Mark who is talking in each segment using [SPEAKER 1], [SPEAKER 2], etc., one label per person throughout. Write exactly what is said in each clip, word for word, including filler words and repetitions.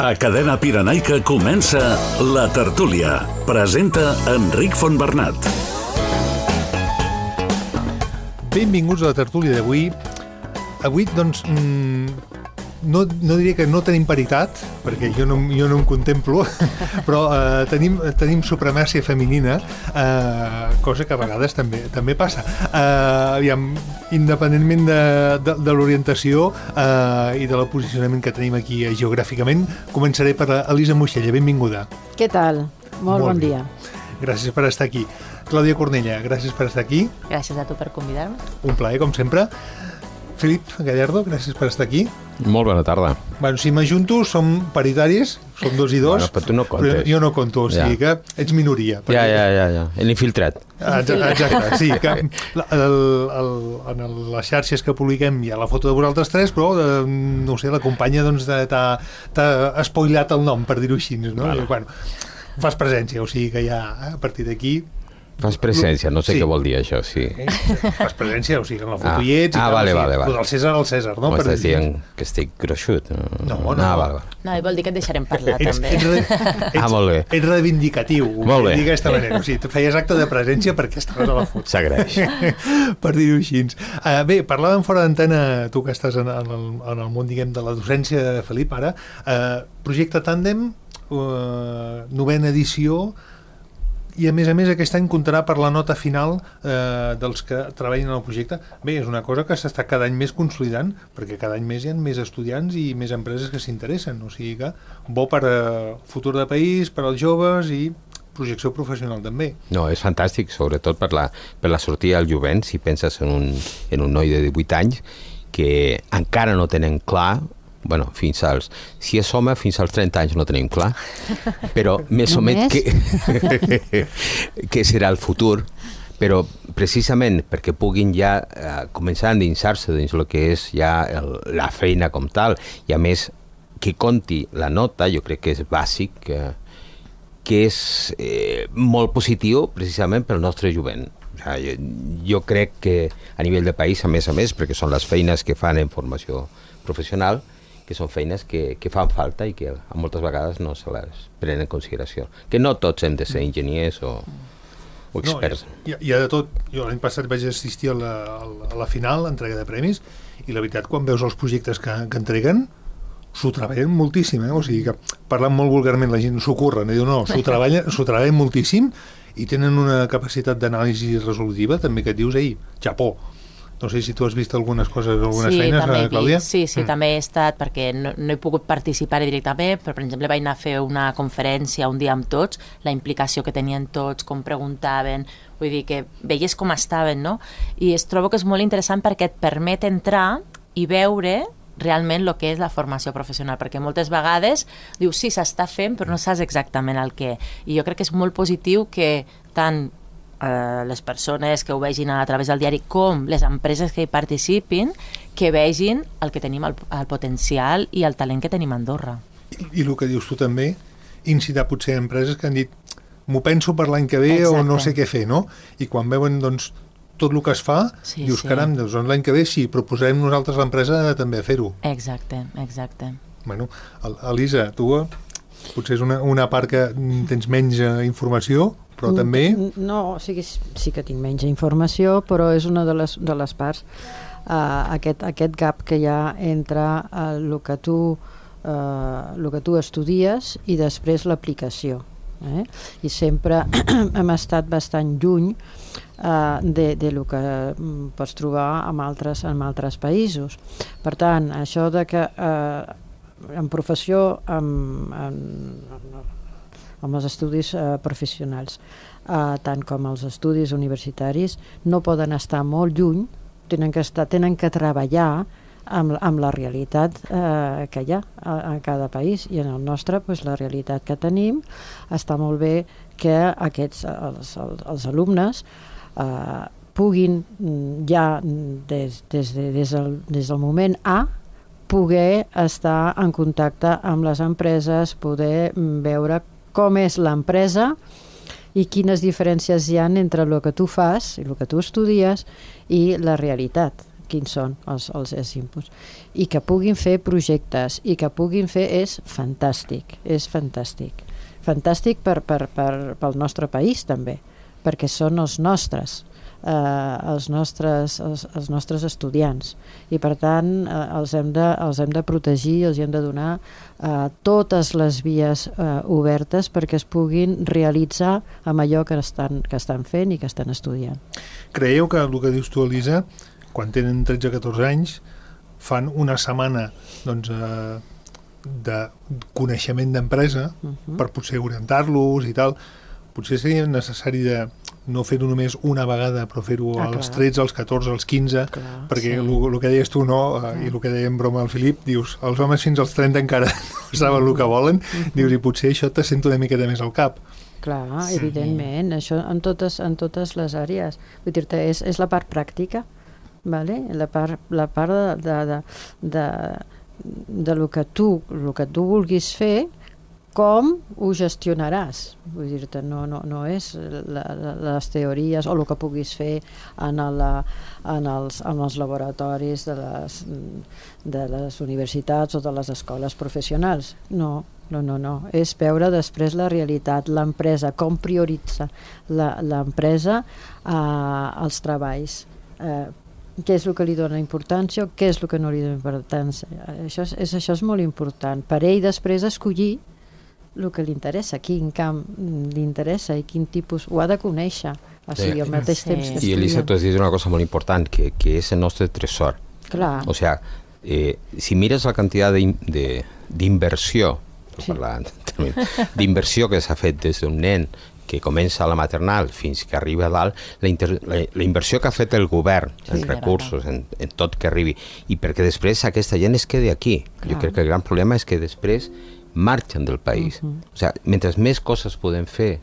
[SPEAKER 1] A Cadena Pirenaica comença La Tertúlia. Presenta Enric Fontbernat.
[SPEAKER 2] Benvinguts a La Tertúlia d'avui. Avui, doncs, no, no diria que no tenim paritat, perquè jo no, jo no em contemplo, però eh, tenim, tenim supremàcia femenina, eh, cosa que a vegades també, també passa. Eh, aviam, independentment de, de, de l'orientació eh, i del posicionament que tenim aquí eh, geogràficament, començaré per Elisa Moixella. Benvinguda.
[SPEAKER 3] Què tal? Molt, Molt bon bé. dia.
[SPEAKER 2] Gràcies per estar aquí. Clàudia Cornella, gràcies per estar aquí.
[SPEAKER 3] Gràcies a tu per convidar-me.
[SPEAKER 2] Un plaer, com sempre. Felip Gallardo, gràcies per estar aquí.
[SPEAKER 4] Molt bona tarda.
[SPEAKER 2] Bueno, si m'ajunto, som paritaris, som dos i dos.
[SPEAKER 4] Bueno, però tu no comptes.
[SPEAKER 2] Però jo no conto, o sigui
[SPEAKER 4] ja.
[SPEAKER 2] que ets minoria.
[SPEAKER 4] Perquè... Ja, ja, ja, ja. L'infiltrat.
[SPEAKER 2] Exacte, exacte, sí. Que el, el, en les xarxes que publiquem hi ha la foto de vosaltres tres, però, eh, no sé, la companya doncs, t'ha espoilat el nom, per dir-ho així, no? Vale. I, bueno, fas presència, o sigui que ja, a partir d'aquí...
[SPEAKER 4] Fas presència, no sé sí. què vol dir això, sí.
[SPEAKER 2] Eh? Fas presència, o sigui, en la foto
[SPEAKER 4] ah.
[SPEAKER 2] hi ets...
[SPEAKER 4] Ah, vale, vale, vale.
[SPEAKER 2] El César al César, no?
[SPEAKER 4] O estàs dient que estic gruixut?
[SPEAKER 2] No, no.
[SPEAKER 4] Ah, vale, vale.
[SPEAKER 3] No, i vol dir que et deixarem parlar,
[SPEAKER 2] ets,
[SPEAKER 3] també.
[SPEAKER 2] Ets, ets,
[SPEAKER 4] ah, molt bé.
[SPEAKER 2] Ets reivindicatiu,
[SPEAKER 4] molt bé.
[SPEAKER 2] d'aquesta manera. O sigui, tu feies acte de presència perquè estaves a la foto.
[SPEAKER 4] S'agraeix.
[SPEAKER 2] Per dir-ho així. Uh, bé, parlàvem fora d'antena, tu que estàs en, en, el, en el món, diguem, de la docència de Felip, ara. Uh, projecte Tàndem, uh, novena edició, i a més a més aquest any comptarà per la nota final eh, dels que treballen en el projecte. Bé, és una cosa que s'està cada any més consolidant, perquè cada any més hi ha més estudiants i més empreses que s'interessen, o sigui que bo per a futur de país, per als joves i projecció professional també.
[SPEAKER 4] No, és fantàstic, sobretot per la, per la sortida al jovent, si penses en un, en un noi de divuit anys que encara no tenen clar. Bueno, fins als... Si és home, fins als trenta anys no tenim clar, però més o menys que, que serà el futur, però precisament perquè puguin ja eh, començar a endinsar-se dins el que és ja el, la feina com tal, i a més que conti la nota, jo crec que és bàsic, que, que és eh, molt positiu precisament pel nostre jovent. O sigui, jo, jo crec que a nivell de país, a més a més, perquè són les feines que fan en formació professional, que són feines que, que fan falta i que a moltes vegades no se les prenen en consideració. Que no tots hem de ser enginyers o, o experts.
[SPEAKER 2] No, hi, ha, hi ha de tot. Jo l'any passat vaig assistir a la, a la final, entrega de premis, i la veritat, quan veus els projectes que, que entreguen, s'ho treballen moltíssim, eh? O sigui que, parlant molt vulgarment, la gent s'ho curren, i diu, no, s'ho treballen, s'ho treballen moltíssim i tenen una capacitat d'anàlisi resolutiva, també que et dius, ei, xapó. No sé si tu has vist algunes coses, algunes
[SPEAKER 3] sí,
[SPEAKER 2] feines,
[SPEAKER 3] també
[SPEAKER 2] Clàudia?
[SPEAKER 3] Sí, sí,
[SPEAKER 2] mm.
[SPEAKER 3] també he estat, perquè no, no he pogut participar directament, però per exemple vaig anar a fer una conferència un dia amb tots, la implicació que tenien tots, com preguntaven, vull dir que veies com estaven, no? I es trobo que és molt interessant perquè et permet entrar i veure realment el que és la formació professional, perquè moltes vegades dius, sí, s'està fent, però no saps exactament el què. I jo crec que és molt positiu que tant Uh, les persones que ho vegin a través del diari com les empreses que hi participin, que vegin el que tenim, el, el potencial i el talent que tenim a Andorra.
[SPEAKER 2] I, i el que dius tu també, incitar potser empreses que han dit m'ho penso per l'any que ve. Exacte. O no sé què fer, no? I quan veuen doncs tot el que es fa, sí, dius, sí. Caram, doncs, l'any que ve sí, proposarem nosaltres l'empresa també a fer-ho.
[SPEAKER 3] Exacte, exacte.
[SPEAKER 2] Bueno, Elisa, tu potser és una, una part que tens menys informació, però també...
[SPEAKER 5] No, o sigui, sí que tinc menys informació, però és una de les, de les parts. Uh, aquest, aquest gap que hi ha entre uh, el, que tu, uh, el que tu estudies i després l'aplicació. Eh? I sempre hem estat bastant lluny uh, de, de lo que pots trobar en altres, en altres països. Per tant, això de que uh, en professió, amb, amb, amb els estudis uh, professionals, uh, tant com els estudis universitaris, no poden estar molt lluny, tenen que, estar, tenen que treballar amb, amb la realitat eh, que hi ha a, a cada país, i en el nostre pues, la realitat que tenim està molt bé que aquests, els, els, els alumnes eh, puguin ja des, des, de, des, del, des del moment A poder estar en contacte amb les empreses, poder veure com és l'empresa i quines diferències hi ha entre el que tu fas i el que tu estudies i la realitat. quins són els, els, els inputs, i que puguin fer projectes, i que puguin fer, és fantàstic, és fantàstic. Fantàstic per, per, per, pel nostre país, també, perquè són els nostres, eh, els nostres, els, els nostres estudiants, i per tant eh, els, hem de, els hem de protegir, els hem de donar eh, totes les vies eh, obertes perquè es puguin realitzar amb allò que estan, que estan fent i que estan estudiant.
[SPEAKER 2] Creieu que el que dius tu, Elisa, quan tenen tretze o catorze anys, fan una setmana doncs, eh, de coneixement d'empresa uh-huh. per potser orientar-los i tal, potser seria necessari de no fer-ho només una vegada, però fer-ho ah, als tretze, als catorze, als quinze, clar, perquè el sí. que deies tu no, uh, i el que deia en broma el Filip, dius, els homes fins als trenta encara no saben el que volen, uh-huh. dius, i potser això te sento una miqueta més al cap.
[SPEAKER 5] Clar, sí. evidentment, això en totes, en totes les àrees. Vull dir-te, és, és la part pràctica, vale? la part, la part de, de, de, de de lo que tu, lo que tu vulguis fer, com ho gestionaràs. Vull dir-te, no, no, no és la, la, les teories o el que puguis fer en, la, en, els, en els laboratoris de les, de les universitats o de les escoles professionals. No, no, no, no. És veure després la realitat, l'empresa, com prioritza l'empresa eh, els treballs. Eh, què és el que li dona importància o què és el que no li dona importància. Això és, és, això és molt important. Per ell després escollir el que li interessa, quin camp li interessa i quin tipus, ho ha de conèixer, o sigui, al mateix sí. temps que estudia.
[SPEAKER 4] I Elisa, tu has dit una cosa molt important, que, que és el nostre tresor.
[SPEAKER 5] Clar.
[SPEAKER 4] O sea, eh, si mires la quantitat d'inversió, sí. d'inversió que s'ha fet des d'un nen que comença a la maternal fins que arriba a dalt, la, inter, la, la inversió que ha fet el govern sí, en recursos, en, en tot que arribi, i perquè després aquesta gent es quedi aquí. Clar. Jo crec que el gran problema és que després marxen del país. Uh-huh. O sigui, mentre més coses podem fer,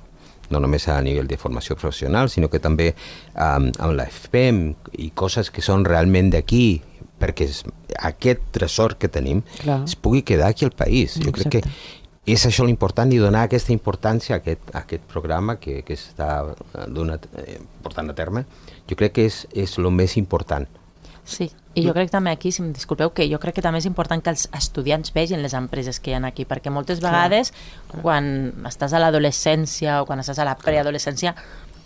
[SPEAKER 4] no només a nivell de formació professional, sinó que també um, amb la F P E M i coses que són realment d'aquí, perquè es, aquest tresor que tenim Clar. Es pugui quedar aquí al país. Jo Exacte. Crec que és això l'important, i donar aquesta importància a aquest, a aquest programa que, que està donat, eh, portant a terme, jo crec que és, és el més important.
[SPEAKER 3] Sí, i jo crec també aquí, si em disculpeu, que jo crec que també és important que els estudiants vegin les empreses que hi ha aquí, perquè moltes vegades Clar. Quan estàs a l'adolescència o quan estàs a la preadolescència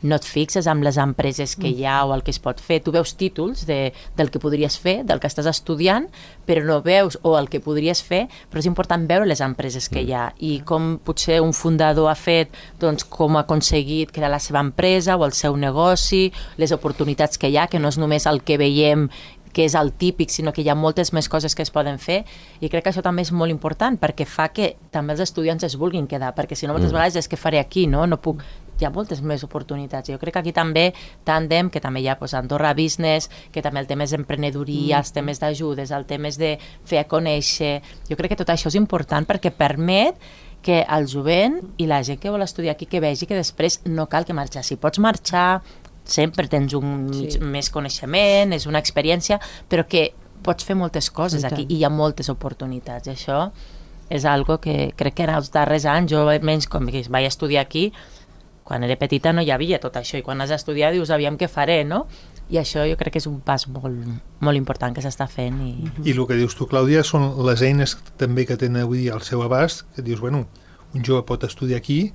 [SPEAKER 3] no et fixes amb les empreses que hi ha o el que es pot fer. Tu veus títols de, del que podries fer, del que estàs estudiant, però no veus, o el que podries fer, però és important veure les empreses que hi ha i com potser un fundador ha fet, doncs com ha aconseguit crear la seva empresa o el seu negoci, les oportunitats que hi ha, que no és només el que veiem que és el típic, sinó que hi ha moltes més coses que es poden fer, i crec que això també és molt important perquè fa que també els estudiants es vulguin quedar, perquè si no moltes mm. vegades és que faré aquí, no? No puc... Hi ha moltes més oportunitats. Jo crec que aquí també Tandem, que també hi ha pues, Andorra Business, que també el tema és emprenedoria, mm. els temes d'ajudes, el tema és de fer a conèixer. Jo crec que tot això és important perquè permet que el jovent i la gent que vol estudiar aquí que vegi que després no cal que marxar. Si pots marxar, sempre tens un sí. més coneixement, és una experiència, però que pots fer moltes coses aquí i hi ha moltes oportunitats. I això és algo que crec que en els darrers anys, jo almenys com que vaig estudiar aquí, quan era petita no hi havia tot això, i quan has d'estudiar dius, aviam què faré, no? I això jo crec que és un pas molt, molt important que s'està fent. I...
[SPEAKER 2] I el que dius tu, Clàudia, són les eines també que tenen avui al seu abast, que dius, bueno, un jove pot estudiar aquí,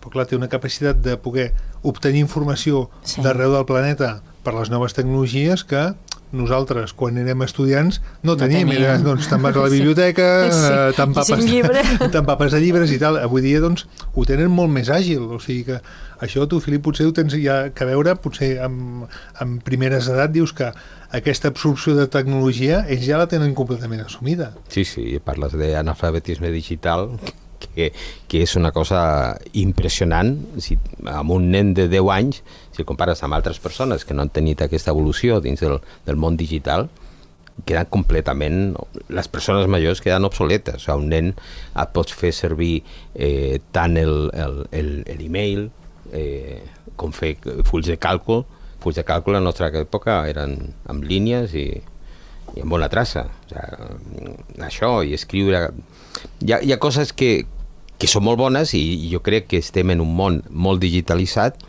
[SPEAKER 2] però clar, té una capacitat de poder obtenir informació sí. d'arreu del planeta per les noves tecnologies que nosaltres, quan érem estudiants, no, no teníem. teníem. Era, doncs, te'n vas a la biblioteca, sí. eh, t'empapes, t'empapes de llibres i tal. Avui dia, doncs, ho tenen molt més àgil. O sigui que això, tu, Filip, potser ho tens ja que veure, potser amb, amb primeres edat dius que aquesta absorció de tecnologia ells ja la tenen completament assumida.
[SPEAKER 4] Sí, sí, parles d'analfabetisme digital, que, que és una cosa impressionant. Si, amb un nen de deu anys, si el compares amb altres persones que no han tenit aquesta evolució dins del, del món digital, queden completament... Les persones majors queden obsoletes. O sigui, un nen et pots fer servir eh, tant el, el, el, l'email eh, com fer fulls de càlcul. Fulls de càlcul a la nostra època eren amb línies i, i amb bona traça. O sigui, això, i escriure... Hi ha, hi ha coses que, que són molt bones, i, i jo crec que estem en un món molt digitalitzat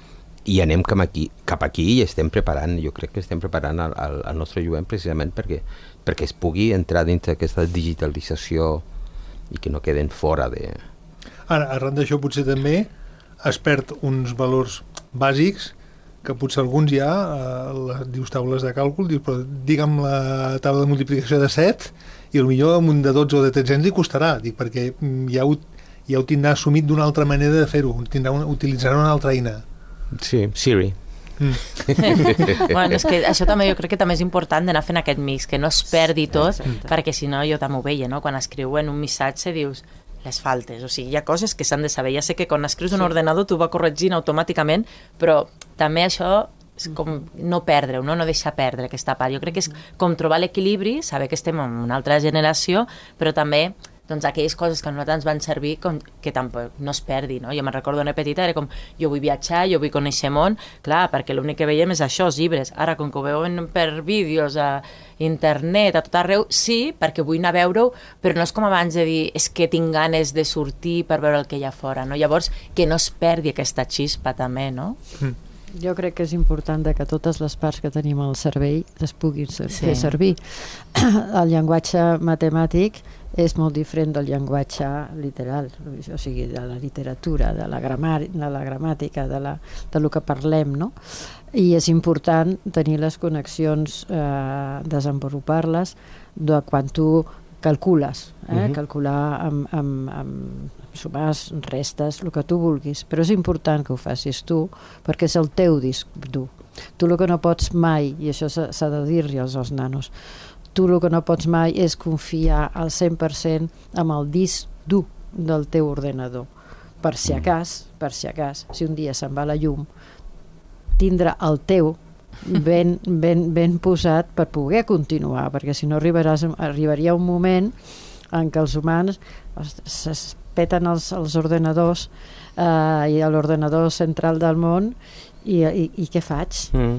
[SPEAKER 4] i anem cap aquí, cap aquí i estem preparant, jo crec que estem preparant el, el, el nostre jovent precisament perquè, perquè es pugui entrar dins d'aquesta digitalització i que no queden fora de...
[SPEAKER 2] Ara, arran d'això potser també es perd uns valors bàsics que potser alguns ja, eh, la, dius taules de càlcul, dius, però digue'm la taula de multiplicació de set i potser amb un de dotze o de tretze li costarà, dic, perquè ja ho, ja ho tindrà assumit d'una altra manera de fer-ho, tindrà una, utilitzarà una altra eina.
[SPEAKER 4] Sí, Siri.
[SPEAKER 3] Mm. Bueno, és que això també jo crec que també és important d'anar fent aquest mix, que no es perdi tot, exacte, perquè si no jo també ho veia, no? Quan escriuen un missatge dius les faltes, o sigui, hi ha coses que s'han de saber. Ja sé que quan escrius un sí. ordenador tu va corregint automàticament, però també això és com no perdre-ho, no? No deixar perdre aquesta part. Jo crec que és com trobar l'equilibri, saber que estem en una altra generació, però també doncs aquelles coses que a nosaltres ens van servir com, que tampoc no es perdi, no? Jo me'n recordo una petita, era com, jo vull viatjar, jo vull conèixer món, clar, perquè l'únic que veiem és això, els llibres. Ara, com que ho veuen per vídeos a internet, a tot arreu, sí, perquè vull anar a veure-ho, però no és com abans de dir, és que tinc ganes de sortir per veure el que hi ha fora, no? Llavors, que no es perdi aquesta xispa també, no?
[SPEAKER 2] Mm.
[SPEAKER 5] Jo crec que és important que totes les parts que tenim al cervell es puguin ser,
[SPEAKER 3] sí.
[SPEAKER 5] fer servir. El llenguatge matemàtic és molt diferent del llenguatge literal, o sigui, de la literatura, de la, gramar, de la gramàtica, de, la, de lo que parlem, no? I és important tenir les connexions, eh, desenvolupar-les de quan tu calcules, eh? Uh-huh. Calcular amb, amb, amb sumars, restes, el que tu vulguis, però és important que ho facis tu perquè és el teu disc dur. Tu el que no pots mai, i això s'ha de dir-li als, als nanos, tu el que no pots mai és confiar al cent per cent amb el disc dur del teu ordenador. Per si a cas, per si a cas, si un dia se'n va la llum, tindrà el teu ben, ben, ben posat per poder continuar, perquè si no arribaràs, arribaria un moment en què els humans es peten els, els ordenadors eh, i l'ordenador central del món i, i, i què faig?
[SPEAKER 4] Mm.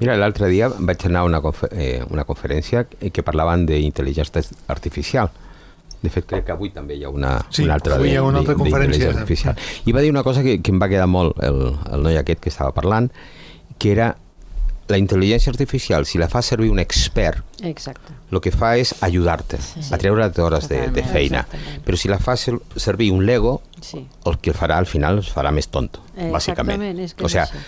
[SPEAKER 4] Mira, l'altre dia vaig anar a una, confer eh, una conferència que parlaven d'intel·ligència artificial. De fet, crec que avui també hi ha una,
[SPEAKER 2] sí,
[SPEAKER 4] una altra d'intel·ligència artificial. I va dir una cosa que, que em va quedar molt, el, el noi aquest que estava parlant, que era la intel·ligència artificial, si la fa servir un expert,
[SPEAKER 5] exacte,
[SPEAKER 4] el que fa és ajudar-te sí, a treure't hores de, de feina. Però si la fa servir un Lego, sí, el que farà al final es farà més tonto, bàsicament.
[SPEAKER 5] És que
[SPEAKER 4] o sigui,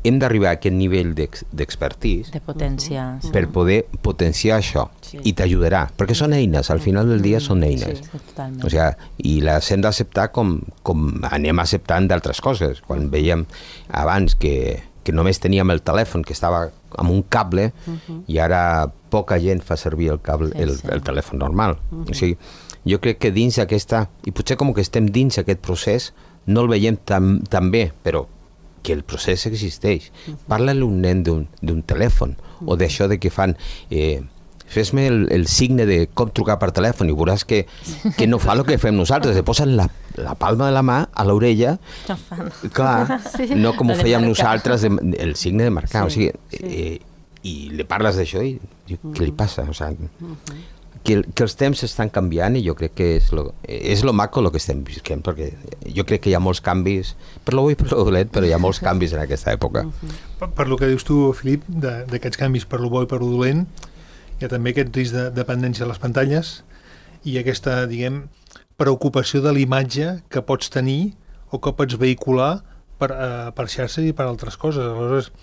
[SPEAKER 4] hem d'arribar a aquest nivell d'expertís
[SPEAKER 3] de potència,
[SPEAKER 4] uh-huh, sí, per poder potenciar això, sí, i t'ajudarà, perquè són eines, al final del dia són eines.
[SPEAKER 3] Sí, totalment.
[SPEAKER 4] O sigui, i les hem d'acceptar com, com anem acceptant d'altres coses. Quan veiem abans que, que només teníem el telèfon que estava amb un cable, uh-huh, i ara poca gent fa servir el, cable, sí, el, sí, el telèfon normal. Uh-huh. O sigui, jo crec que dins aquesta, i potser com que estem dins aquest procés, no el veiem tan, tan bé, però que el procés existeix. Uh-huh. Parla-li un nen d'un telèfon, uh-huh, o d'això de que fan eh, fes-me el, el signe de com trucar per telèfon i veuràs que, que no fa el que fem nosaltres, se posen la, la palma de la mà a l'orella,
[SPEAKER 3] no fan.
[SPEAKER 4] Clar, sí, no com ho fèiem nosaltres, de, el signe de marcar, sí, o sigui, sí, eh, i li parles d'això i diu, uh-huh, què li passa? O sigui, uh-huh, que, que els temps estan canviant i jo crec que és lo, és lo maco el que estem visquent, perquè jo crec que hi ha molts canvis, per lo bo i per lo dolent, però hi ha molts canvis en aquesta època.
[SPEAKER 2] Per, per lo que dius tu, Filip, d'aquests canvis per lo bo i per lo dolent, hi ha també aquest risc de dependència a les pantalles i aquesta, diguem, preocupació de l'imatge que pots tenir o que pots vehicular per, uh, per xarxes i per altres coses. Aleshores,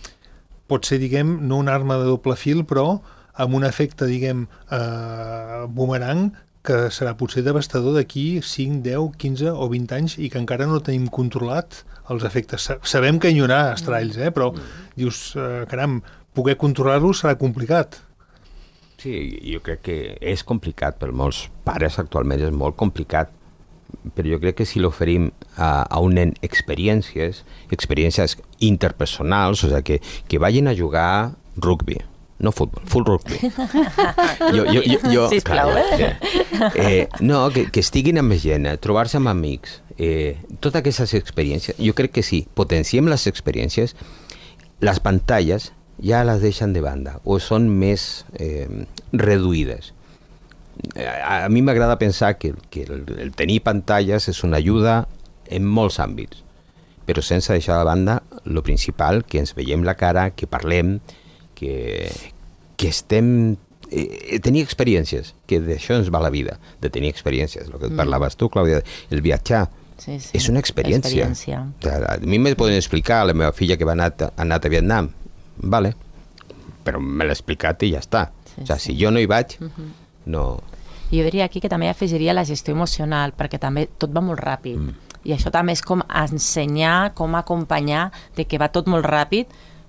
[SPEAKER 2] pot ser, diguem, no una arma de doble fil, però amb un efecte, diguem, eh, boomerang, que serà potser devastador d'aquí cinc, deu, quinze o vint anys i que encara no tenim controlat els efectes. Sabem que hi haurà estralls, eh? Però dius, eh, caram, poder controlar-lo serà complicat.
[SPEAKER 4] Sí, jo crec que és complicat per molts pares actualment, és molt complicat, però jo crec que si l'oferim a, a un nen experiències, experiències interpersonals, o sigui, que, que vagin a jugar rugby, no futbol, full rugby. Jo, jo, jo, jo,
[SPEAKER 3] Sisplau,
[SPEAKER 4] clar, eh? eh? No, que, que estiguin amb gent, trobar-se amb amics, eh, totes aquestes experiències, jo crec que sí, potenciem les experiències, les pantalles ja les deixen de banda o són més eh, reduïdes. A, a mi m'agrada pensar que, que el, el tenir pantalles és una ajuda en molts àmbits, però sense deixar de banda lo principal, que ens veiem la cara, que parlem, que, que estem... Eh, tenir experiències, que d'això ens va la vida, de tenir experiències, el que mm. parlaves tu, Clàudia, el viatjar, sí, sí. és una experiència. experiència. A mi me poden explicar, a la meva filla que va anar, ha anat a Vietnam, vale, però me l'ha explicat i ja està. Sí, o sigui, sí. si jo no hi vaig, mm-hmm. no...
[SPEAKER 3] Jo diria aquí que també afegiria la gestió emocional, perquè també tot va molt ràpid. Mm. I això també és com ensenyar, com acompanyar de que va tot molt ràpid,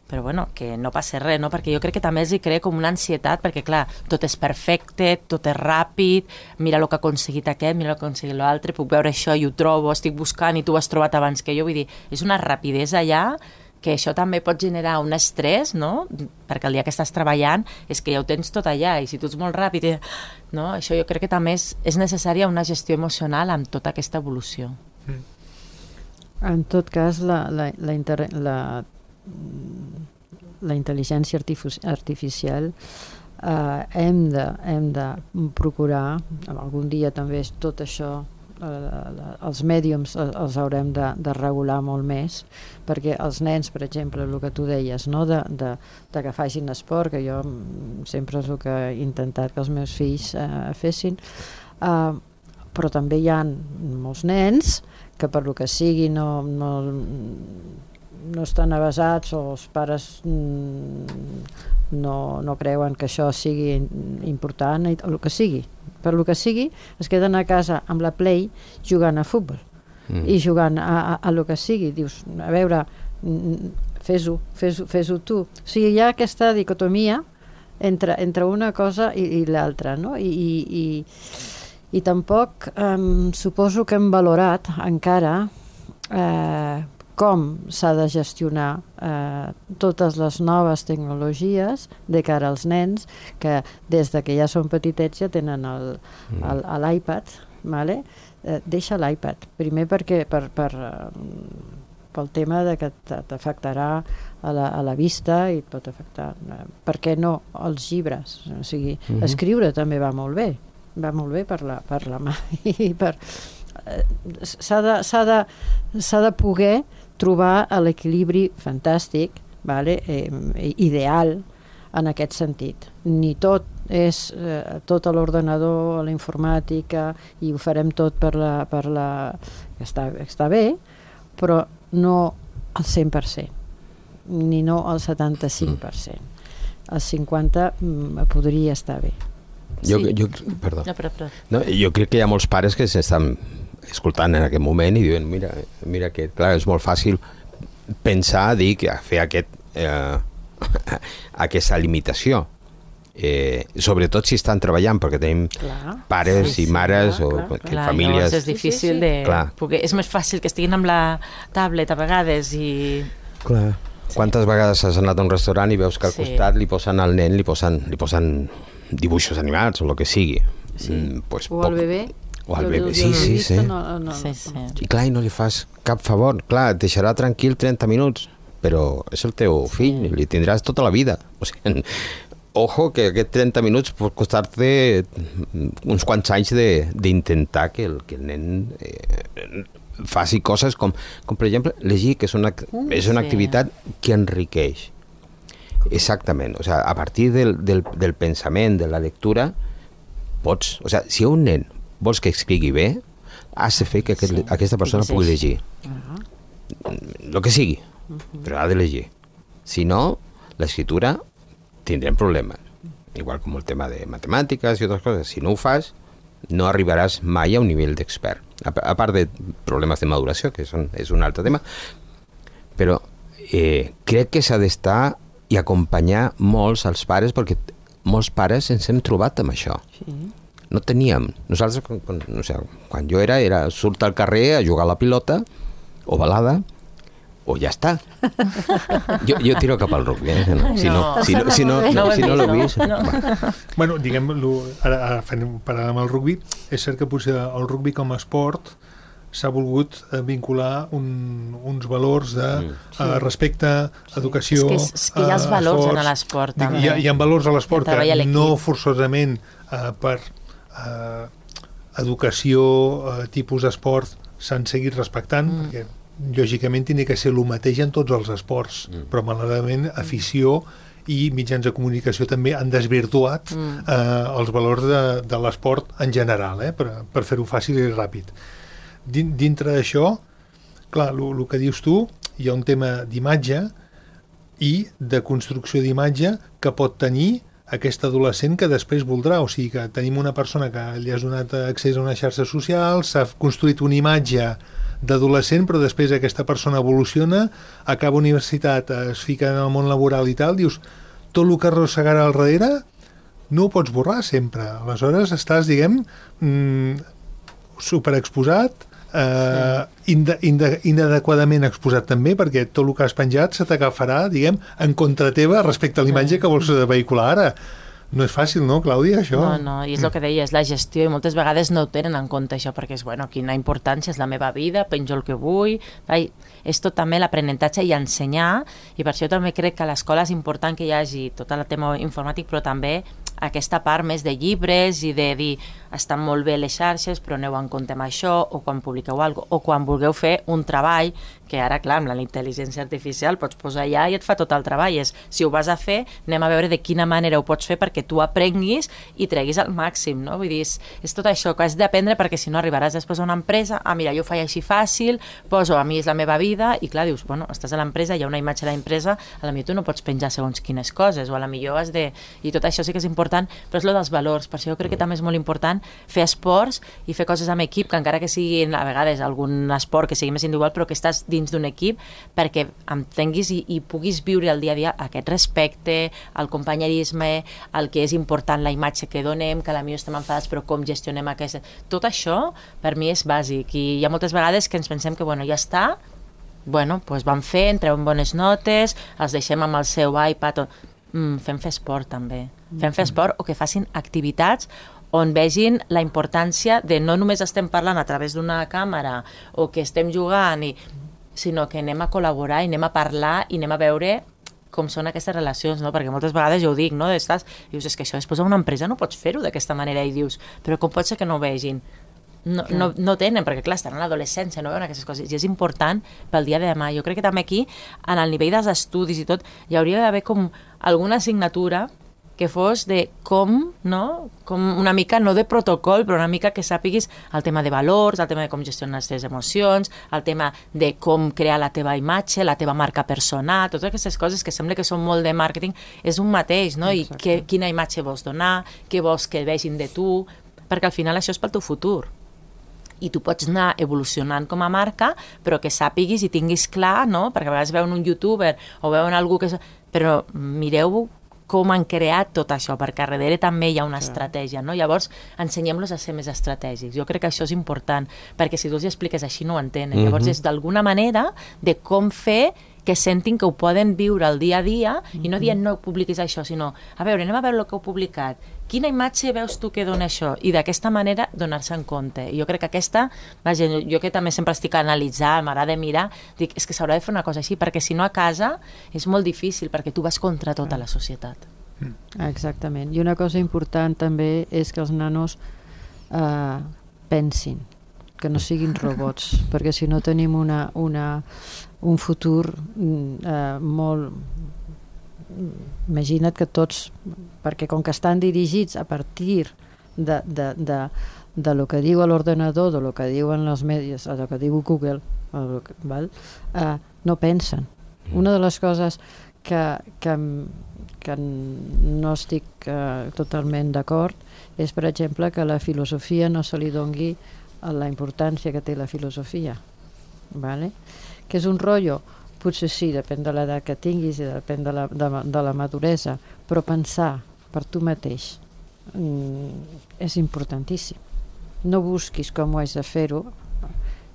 [SPEAKER 3] però bueno, que no passa res, no? Perquè jo crec que també els hi crea com una ansietat, perquè clar, tot és perfecte, tot és ràpid, mira el que ha aconseguit aquest, mira el que ha aconseguit l'altre, puc veure això i ho trobo, estic buscant i tu ho has trobat abans que jo, vull dir, és una rapidesa allà que això també pot generar un estrès, no? Perquè el dia que estàs treballant és que ja ho tens tot allà, i si tu ets molt ràpid, no? Això jo crec que també és, és necessària una gestió emocional amb tota aquesta evolució. Mm.
[SPEAKER 5] En tot cas, la, la, la, inter, la la intel·ligència artificial eh, hem, de, hem de procurar, algun dia també és tot això, eh, els mèdiums els haurem de, de regular molt més, perquè els nens, per exemple, el que tu deies, no? de, de, de que facin esport, que jo sempre és el que he intentat que els meus fills eh, fessin, eh, però també hi ha molts nens que per lo que sigui no... no no estan avasats o els pares no, no creuen que això sigui important o el que sigui, per lo que sigui es queden a casa amb la Play jugant a futbol mm. i jugant a, a, a lo que sigui, dius, a veure fes-ho, fes-ho, fes-ho tu, o sigui, hi ha aquesta dicotomia entre, entre una cosa i, i l'altra, no? I, i, i, i tampoc um, suposo que hem valorat encara eh, com s'ha de gestionar eh, totes les noves tecnologies de cara als nens que des de que ja són petitets ja tenen el, el, l'iPad, vale? eh, deixa l'iPad, primer perquè per, per, pel tema de que t'afectarà a la, a la vista i et pot afectar, eh, per què no els llibres, o sigui, uh-huh. escriure també va molt bé, va molt bé per la, per la mà i per... Eh, s'ha de, s'ha de, s'ha de poder trobar l'equilibri fantàstic, vale? eh, ideal en aquest sentit. Ni tot és eh, tot a l'ordenador, a la informàtica, i ho farem tot per la... Per la que està, està bé, però no al cent per cent, ni no al setanta-cinc per cent. El cinquanta per cent podria estar bé.
[SPEAKER 4] Jo, sí. jo, perdó. No, però, però. No, jo crec que hi ha molts pares que s'estan escoltant en aquest moment i diuen, mira, mira que clar, és molt fàcil pensar, dir que fer aquest, eh, aquesta limitació, eh, sobretot si estan treballant, perquè tenim clar. pares sí, sí, i mares clar, o clar. Que clar, famílies...
[SPEAKER 3] És difícil de... Perquè és més fàcil que estiguin amb la tablet a vegades i...
[SPEAKER 4] Clar. Quantes vegades has anat a un restaurant i veus que al sí. costat li posen al nen, li posen, li posen dibuixos animats o el que sigui.
[SPEAKER 5] Sí. Mm,
[SPEAKER 4] pues,
[SPEAKER 5] o al bebè.
[SPEAKER 4] O al bebè, sí, sí, sí.
[SPEAKER 5] No, no,
[SPEAKER 3] sí, sí.
[SPEAKER 4] I clar, i no li fas cap favor. Clar, et deixarà tranquil trenta minuts, però és el teu fill, sí. li tindràs tota la vida. O sigui, ojo, que aquests trenta minuts pot costar-te uns quants anys d'intentar que el, que el nen eh, faci coses com, com, per exemple, llegir, que és una, mm, és una sí. activitat que enriqueix. Exactament. O sigui, a partir del, del, del pensament, de la lectura, pots... O sigui, si un nen vols que escrigui bé, has de fer que aquest, sí. aquesta persona pugui llegir. Uh-huh. El que sigui, uh-huh. però ha de llegir. Si no, l'escriptura tindrem problemes. Igual com el tema de matemàtiques i altres coses. Si no ho fas, no arribaràs mai a un nivell d'expert. A, a part de problemes de maduració, que són, és un altre tema, però eh, crec que s'ha d'estar i acompanyar molts als pares, perquè molts pares ens hem trobat amb això. Sí. No teníem. Nosaltres, quan, no sé, quan jo era, era surt al carrer a jugar a la pilota, o balada, o ja està. Jo, jo tiro cap al rugby, eh? No, si no, no, si no, si no, no, si no l'ho vist... No.
[SPEAKER 2] Bueno, diguem, ara, ara fent parlant amb el rugby, és cert que potser el rugby com a esport s'ha volgut vincular un, uns valors de mm. sí. uh, respecte, educació...
[SPEAKER 3] És que, és que hi ha els valors uh, en l'esport, també.
[SPEAKER 2] Hi ha, hi ha valors a l'esport que no forçosament uh, per uh, educació, uh, tipus d'esport s'han seguit respectant, mm. perquè lògicament tindria que ser el mateix en tots els esports, mm. però malauradament afició i mitjans de comunicació també han desvirtuat mm. eh, els valors de, de l'esport en general, eh, per, per fer-ho fàcil i ràpid. Din, dintre d'això, clar, el que dius tu, hi ha un tema d'imatge i de construcció d'imatge que pot tenir aquest adolescent que després voldrà, o sigui que tenim una persona que li has donat accés a una xarxa social, s'ha construït una imatge d'adolescent, però després aquesta persona evoluciona, acaba universitat, es fica en el món laboral i tal, dius, tot el que arrossegarà al darrere no ho pots borrar sempre. Aleshores estàs, diguem, mmm, superexposat, eh, sí. inde, inde, inadequadament exposat també, perquè tot el que has penjat se t'agafarà, diguem, en contra teva respecte a l'imatge sí. que vols vehicular ara. No és fàcil, no, Clàudia, això?
[SPEAKER 3] No, no, i és el que deia, és la gestió, i moltes vegades no ho tenen en compte això, perquè és, bueno, quina importància, és la meva vida, penjo el que vull, vai, és tot també l'aprenentatge i ensenyar, i per això també crec que a l'escola és important que hi hagi tot el tema informàtic, però també aquesta part més de llibres i de dir, estan molt bé les xarxes, però aneu en compte amb això, o quan publiqueu alguna cosa, o quan vulgueu fer un treball, que ara, clar, amb la intel·ligència artificial pots posar allà i et fa tot el treball. És, si ho vas a fer, anem a veure de quina manera ho pots fer perquè tu aprenguis i treguis al màxim, no? Vull dir, és, és tot això que has d'aprendre, perquè si no arribaràs després a una empresa, ah, mira, jo ho faig així fàcil, poso, a mi és la meva vida, i clar, dius, bueno, estàs a l'empresa, hi ha una imatge de l'empresa, a la millor tu no pots penjar segons quines coses, o a la millor has de... I tot això sí que és important, però és lo dels valors, per això jo crec que també és molt important fer esports i fer coses amb equip, que encara que siguin a vegades algun esport que sigui més individual, però que estàs dins d'un equip, perquè entenguis i, i puguis viure el dia a dia aquest respecte, el companyerisme, el que és important, la imatge que donem, que a la millor estem enfadats, però com gestionem aquesta... Tot això, per mi, és bàsic, i hi ha moltes vegades que ens pensem que, bueno, ja està, bueno, doncs van fent, treuen bones notes, els deixem amb el seu iPad, o... mm, fem fer esport també, fem fer esport, o que facin activitats on vegin la importància de no només estem parlant a través d'una càmera o que estem jugant, i, sinó que anem a col·laborar i anem a parlar i anem a veure com són aquestes relacions, no? Perquè moltes vegades jo ho dic, no? Estàs, dius, és que això després a una empresa no pots fer-ho d'aquesta manera, i dius, però com pot ser que no ho vegin? No, no, no tenen, perquè clar, estan en l'adolescència, no veuen aquestes coses, i és important pel dia de demà. Jo crec que també aquí, en el nivell dels estudis i tot, hi hauria d'haver com alguna assignatura que fos de com, no? Com una mica, no de protocol, però una mica que sàpiguis el tema de valors, el tema de com gestionar les teves emocions, el tema de com crear la teva imatge, la teva marca personal, totes aquestes coses que sembla que són molt de màrqueting, és un mateix, no? I que, quina imatge vols donar, què vols que vegin de tu, perquè al final això és pel teu futur. I tu pots anar evolucionant com a marca, però que sàpiguis i tinguis clar, no? Perquè a vegades veuen un youtuber o veuen algú que... Però mireu com han creat tot això, perquè a darrere també hi ha una sí. estratègia, no? Llavors, ensenyem-los a ser més estratègics. Jo crec que això és important, perquè si tu els expliques així no ho entenen. Mm-hmm. Llavors, és d'alguna manera de com fer que sentin que ho poden viure el dia a dia, mm-hmm. i no dient no publiquis això, sinó, a veure, anem a veure el que heu publicat, quina imatge veus tu que dona això? I d'aquesta manera donar-se en compte. I jo crec que aquesta, vaja, jo que també sempre estic a analitzar, m'agrada mirar, dic, és que s'haurà de fer una cosa així, perquè si no a casa és molt difícil, perquè tu vas contra tota la societat.
[SPEAKER 5] Exactament. I una cosa important també és que els nanos eh, pensin, que no siguin robots, perquè si no tenim una, una, un futur eh, molt... Imagina't que tots, perquè com que estan dirigits a partir de, de, de, de lo que diu l'ordenador, de lo que diuen els medis, de lo que diu Google, que, val? Eh, no pensen. Una de les coses que, que, que no estic eh, totalment d'acord és, per exemple, que la filosofia no se li dongui la importància que té la filosofia, vale? Que és un rotllo. Potser sí, depèn de l'edat que tinguis i depèn de la, de, de la maduresa, però pensar per tu mateix mm, és importantíssim. No busquis com ho has de fer-ho,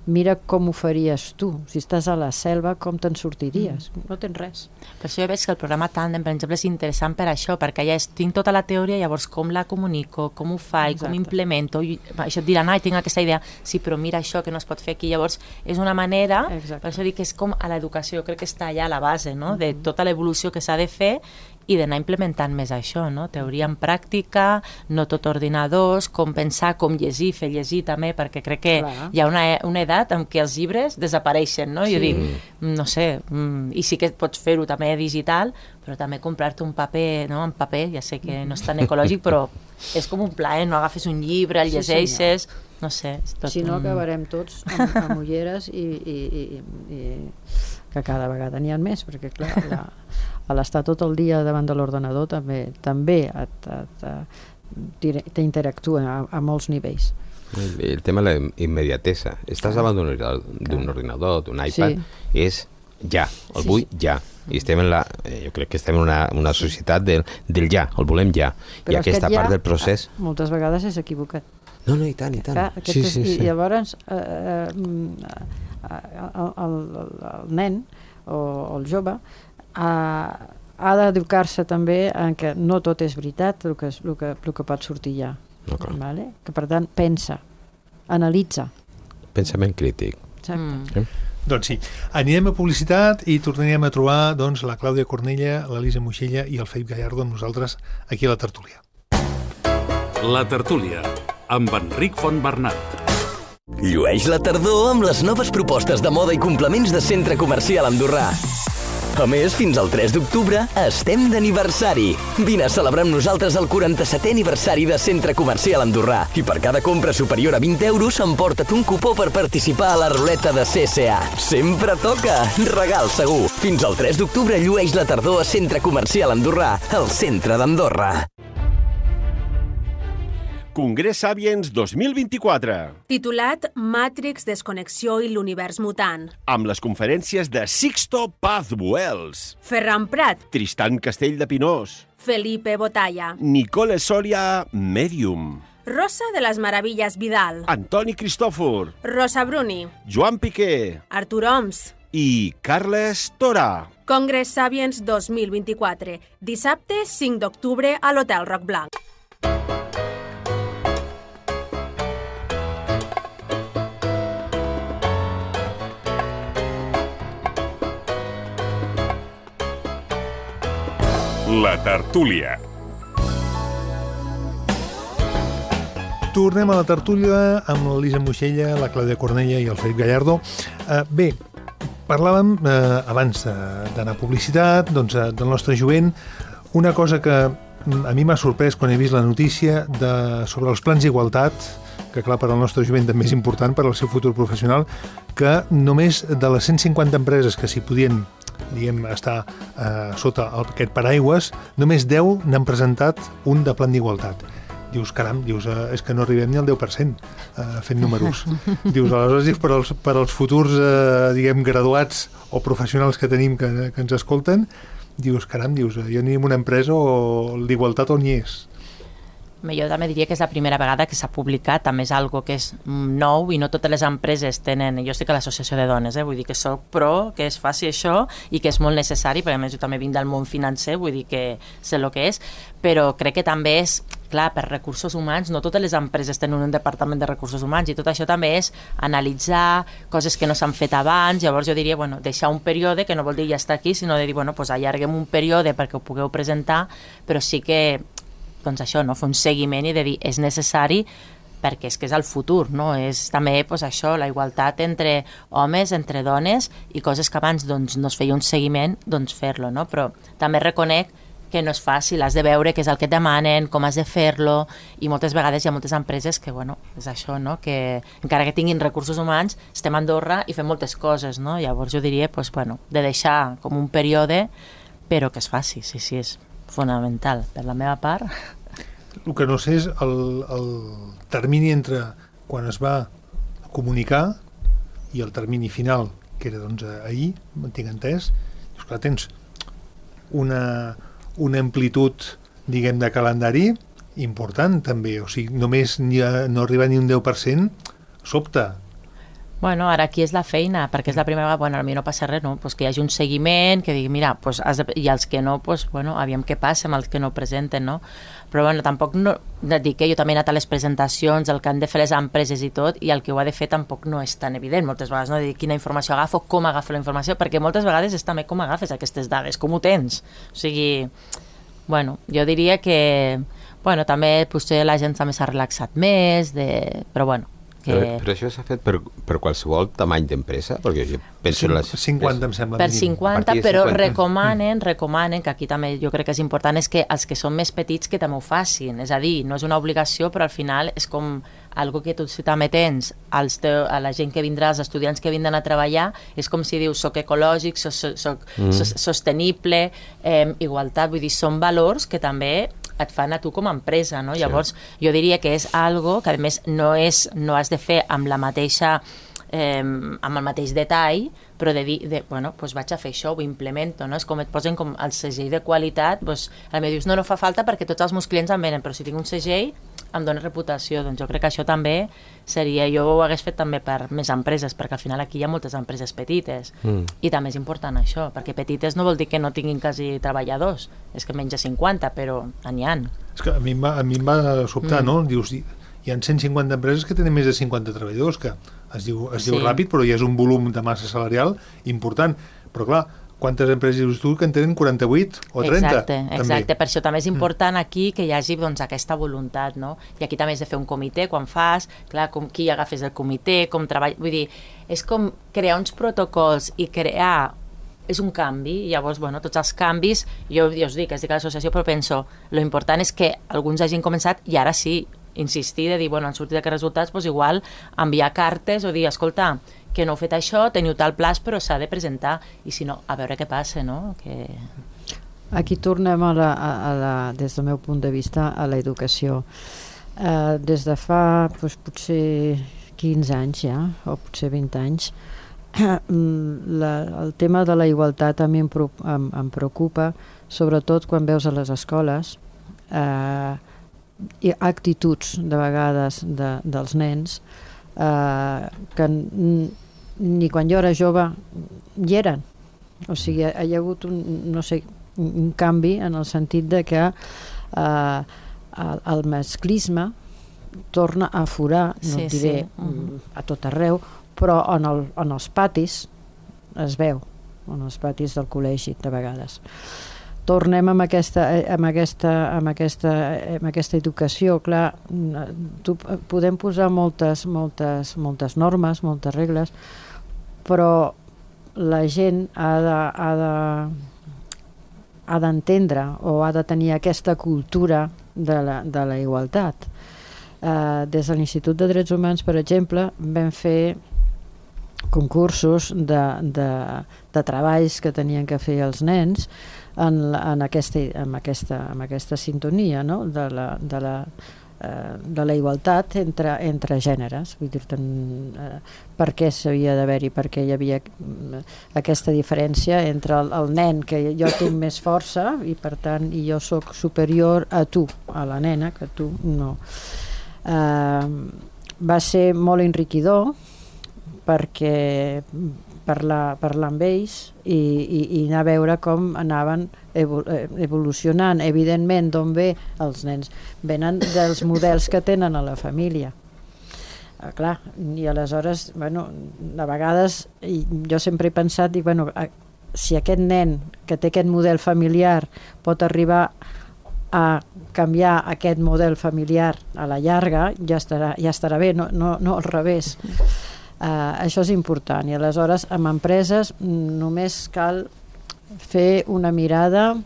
[SPEAKER 5] mira com ho faries tu. Si estàs a la selva, com te'n sortiries? Mm. No tens res.
[SPEAKER 3] Per això jo veig que el programa Tandem, per exemple, és interessant per això, perquè ja és, tinc tota la teoria, llavors com la comunico, com ho faig, exacte, com implemento, i això et diran, ai, tinc aquesta idea, sí, però mira això que no es pot fer aquí, llavors és una manera, exacte, per això dic que és com a l'educació, crec que està allà a la base, no?, de tota l'evolució que s'ha de fer, i d'anar implementant més això, no? Teoria en pràctica, no tot ordinadors, com pensar, com llegir, fer llegir també, perquè crec que Clar. hi ha una, una edat en què els llibres desapareixen, no? Sí. Jo dic, no sé, i sí que pots fer-ho també digital, però també comprar-te un paper, no? En paper, ja sé que no és tan ecològic, però és com un plaer, no? Agafes un llibre, el llegeixes, sí, no sé. És tot
[SPEAKER 5] si no,
[SPEAKER 3] un...
[SPEAKER 5] acabarem tots amb, amb ulleres i, i, i, i que cada vegada n'hi ha més, perquè clar, la, a l'estar tot el dia davant de l'ordenador també també t'interactua a, a molts nivells.
[SPEAKER 4] El, el tema de la immediatesa. Estàs davant d'un ordinador, d'un iPad, sí. és ja, el sí, vull sí. ja. I estem en la, jo crec que estem en una, una societat del, del ja, el volem ja.
[SPEAKER 5] Però
[SPEAKER 4] I aquesta
[SPEAKER 5] ja,
[SPEAKER 4] part del procés...
[SPEAKER 5] moltes vegades és equivocat.
[SPEAKER 4] No, no, i tant, i tant.
[SPEAKER 5] Clar,
[SPEAKER 4] sí,
[SPEAKER 5] és,
[SPEAKER 4] sí, sí.
[SPEAKER 5] I llavors eh, eh, el, el, el nen o el jove ha, ha d'educar-se també en que no tot és veritat el que, el que, el que pot sortir ja. No, vale? Que per tant pensa, analitza.
[SPEAKER 4] Pensament crític.
[SPEAKER 5] Exacte.
[SPEAKER 3] Mm.
[SPEAKER 4] Sí?
[SPEAKER 2] Doncs sí, anirem a publicitat i tornarem a trobar doncs, la Clàudia Cornella, l'Elisa Moixella i el Felip Gallardo amb nosaltres aquí a la tertúlia.
[SPEAKER 1] La tertúlia, amb Enric Fontbernat.
[SPEAKER 6] Llueix la tardor amb les noves propostes de moda i complements de Centre Comercial Andorrà. A més, fins al tres d'octubre estem d'aniversari. Vine a celebrar amb nosaltres el quaranta-setè aniversari de Centre Comercial Andorrà i per cada compra superior a vint euros emporta't un cupó per participar a la ruleta de C C A. Sempre toca! Regal segur! Fins al tres d'octubre llueix la tardor a Centre Comercial Andorrà, al centre d'Andorra.
[SPEAKER 7] Congrés Sapiens dos mil vint-i-quatre.
[SPEAKER 8] Titulat Matrix, Desconnexió i l'univers mutant.
[SPEAKER 7] Amb les conferències de Sixto Paz Buells,
[SPEAKER 8] Ferran Prat,
[SPEAKER 7] Tristan Castell de Pinós,
[SPEAKER 8] Felipe Botalla,
[SPEAKER 7] Nicole Soria, Medium,
[SPEAKER 8] Rosa de les Meravilles Vidal,
[SPEAKER 7] Antoni Cristòfor,
[SPEAKER 8] Rosa Bruni,
[SPEAKER 7] Joan Piqué
[SPEAKER 8] Artur Oms
[SPEAKER 7] i Carles Tora.
[SPEAKER 8] Congrés Sapiens dos mil vint-i-quatre. Dissabte cinc d'octubre a l'Hotel Roc Blanc.
[SPEAKER 9] La tertúlia.
[SPEAKER 2] Tornem a la tertúlia amb l'Elisa Moixella, la Clàudia Cornella i el Felip Gallardo. Eh, bé, parlàvem eh, abans d'anar a publicitat, doncs, del nostre jovent, una cosa que a mi m'ha sorprès quan he vist la notícia de, sobre els plans d'igualtat, que clar, per al nostre jovent també és important per al seu futur professional, que només de les cent cinquanta empreses que s'hi podien diguem, estar eh, sota aquest paraigües, només deu n'han presentat un de plan d'igualtat. Dius, caram, dius, eh, és que no arribem ni al deu per cent eh, fent números. Dius, aleshores, dius, per als, per als futurs, eh, diguem, graduats o professionals que tenim que, que ens escolten, dius, caram, dius, jo ni en una empresa o l'igualtat on hi és.
[SPEAKER 3] Jo també diria que és la primera vegada que s'ha publicat, també és algo que és nou i no totes les empreses tenen, jo estic a l'associació de dones, eh? Vull dir que soc pro, que es faci això i que és molt necessari, perquè a més jo també vinc del món financer, vull dir que sé el que és, però crec que també és, clar, per recursos humans, no totes les empreses tenen un departament de recursos humans i tot això també és analitzar coses que no s'han fet abans, llavors jo diria, bueno, deixar un període, que no vol dir ja estar aquí, sinó de dir, bueno, pues allarguem un període perquè ho pugueu presentar, però sí que doncs això, no? Fer un seguiment i de dir és necessari perquè és que és el futur, no? És també pues, això, la igualtat entre homes, entre dones i coses que abans doncs, no es feia un seguiment, doncs fer-lo, no? Però també reconec que no és fàcil, has de veure què és el que et demanen, com has de fer-lo i moltes vegades hi ha moltes empreses que, bueno, és això, no? Que encara que tinguin recursos humans, estem a Andorra i fem moltes coses, no? Llavors jo diria, pues, bueno, de deixar com un període, però que es faci, sí, sí, és fonamental. Per la meva part...
[SPEAKER 2] El que no sé és el, el termini entre quan es va comunicar i el termini final, que era doncs ahir, m'entenc entès, i esclar, tens una, una amplitud, diguem, de calendari important també, o sigui, només ni a, no arriba ni un deu per cent, sobta.
[SPEAKER 3] Bueno, ara aquí és la feina, perquè és la primera vegada, bueno, a mi no passa res, no? Pues que hi hagi un seguiment, que digui, mira, pues has de... i els que no, pues, bueno, aviam què passa amb els que no presenten, no? Però bueno, tampoc no... dic que jo també he anat a les presentacions, el que han de fer les empreses i tot, i el que ho ha de fer tampoc no és tan evident, moltes vegades, no? De dir quina informació agafo, com agafo la informació, perquè moltes vegades és també com agafes aquestes dades, com ho tens. O sigui, bueno, jo diria que bueno, també potser la gent també s'ha relaxat més, de... però bueno, que...
[SPEAKER 4] Però, però això s'ha fet per, per qualsevol tamany d'empresa? Perquè jo penso en les...
[SPEAKER 2] cinquanta, em sembla.
[SPEAKER 3] Per cinquanta, però
[SPEAKER 4] cinquanta.
[SPEAKER 3] recomanen, recomanen, que aquí també jo crec que és important, és que els que són més petits que també ho facin. És a dir, no és una obligació, però al final és com algo que tu també tens als teu, a la gent que vindrà, als estudiants que vindran a treballar, és com si dius, soc ecològic, soc, soc, soc mm. sostenible, eh, igualtat, vull dir, són valors que també et fan a tu com a empresa, no? Sí. Llavors, jo diria que és algo que, a més, no, és, no has de fer amb la mateixa eh, amb el mateix detall, però de dir, de, bueno, doncs vaig a fer això, ho implemento, no? És com et posen com el segell de qualitat, doncs, a mi dius, no, no fa falta perquè tots els meus clients em venen, però si tinc un segell em dona reputació, doncs jo crec que això també seria, jo ho hagués fet també per més empreses, perquè al final aquí hi ha moltes empreses petites, mm. i també és important això, perquè petites no vol dir que no tinguin quasi treballadors, és que menys de cinquanta, però n'hi ha.
[SPEAKER 2] És que a mi em va, a mi em va sobtar, mm. no? Dius, hi ha cent cinquanta empreses que tenen més de cinquanta treballadors, que es diu, es diu sí. ràpid, però ja és un volum de massa salarial important, però clar, quantes empreses dius tu que en tenen quaranta-vuit o trenta?
[SPEAKER 3] Exacte, exacte. Per això també és important aquí que hi hagi doncs, aquesta voluntat, no? I aquí també has de fer un comitè quan fas, clar, com, qui agafes el comitè, com treballa... Vull dir, és com crear uns protocols i crear... És un canvi, i llavors, bueno, tots els canvis, jo, jo us dic, es dic a l'associació, però penso, lo important és que alguns hagin començat i ara sí, insistir, de dir, bueno, han sortit aquests resultats, doncs igual enviar cartes o dir, escolta, que no heu fet això, teniu tal plaç, però s'ha de presentar, i si no, a veure què passa, no? Que...
[SPEAKER 5] Aquí tornem a la, a la, des del meu punt de vista a l'educació. Eh, des de fa doncs, potser quinze anys ja, o potser vint anys, la, el tema de la igualtat a mi em, em, em preocupa, sobretot quan veus a les escoles eh, i actituds de vegades de, dels nens eh, que ni quan jo era jove hi eren. O sigui, hi ha hagut un, no sé, un canvi en el sentit de que eh, el, el masclisme torna a aforar, no
[SPEAKER 3] sí,
[SPEAKER 5] et diré
[SPEAKER 3] sí. uh-huh.
[SPEAKER 5] a tot arreu, però en, el, en els patis es veu, en els patis del col·legi de vegades. Tornem amb aquesta, amb aquesta, amb aquesta, amb aquesta educació, clar, tu, podem posar moltes, moltes, moltes normes, moltes regles, però la gent ha de, ha de, ha d'entendre o ha de tenir aquesta cultura de la, de la igualtat. Eh, des de l'Institut de Drets Humans, per exemple, vam fer concursos de, de, de treballs que tenien que fer els nens en, en, aquesta, en, aquesta, en aquesta sintonia, no? de, la, de, la, eh, de la igualtat entre, entre gèneres. Vull dir-te eh, per què s'havia d'haver-hi, perquè hi havia aquesta diferència entre el, el nen, que jo tinc més força i per tant i jo sóc superior a tu, a la nena, que tu no. Eh, va ser molt enriquidor perquè parlar, parlar amb ells i, i, i anar a veure com anaven evolucionant. Evidentment, d'on ve els nens? Venen dels models que tenen a la família. Eh, clar, i aleshores, bueno, a vegades jo sempre he pensat, dic, bueno, si aquest nen que té aquest model familiar pot arribar a canviar aquest model familiar a la llarga, ja estarà, ja estarà bé, no, no, no al revés. Uh, això és important, i aleshores amb empreses només cal fer una mirada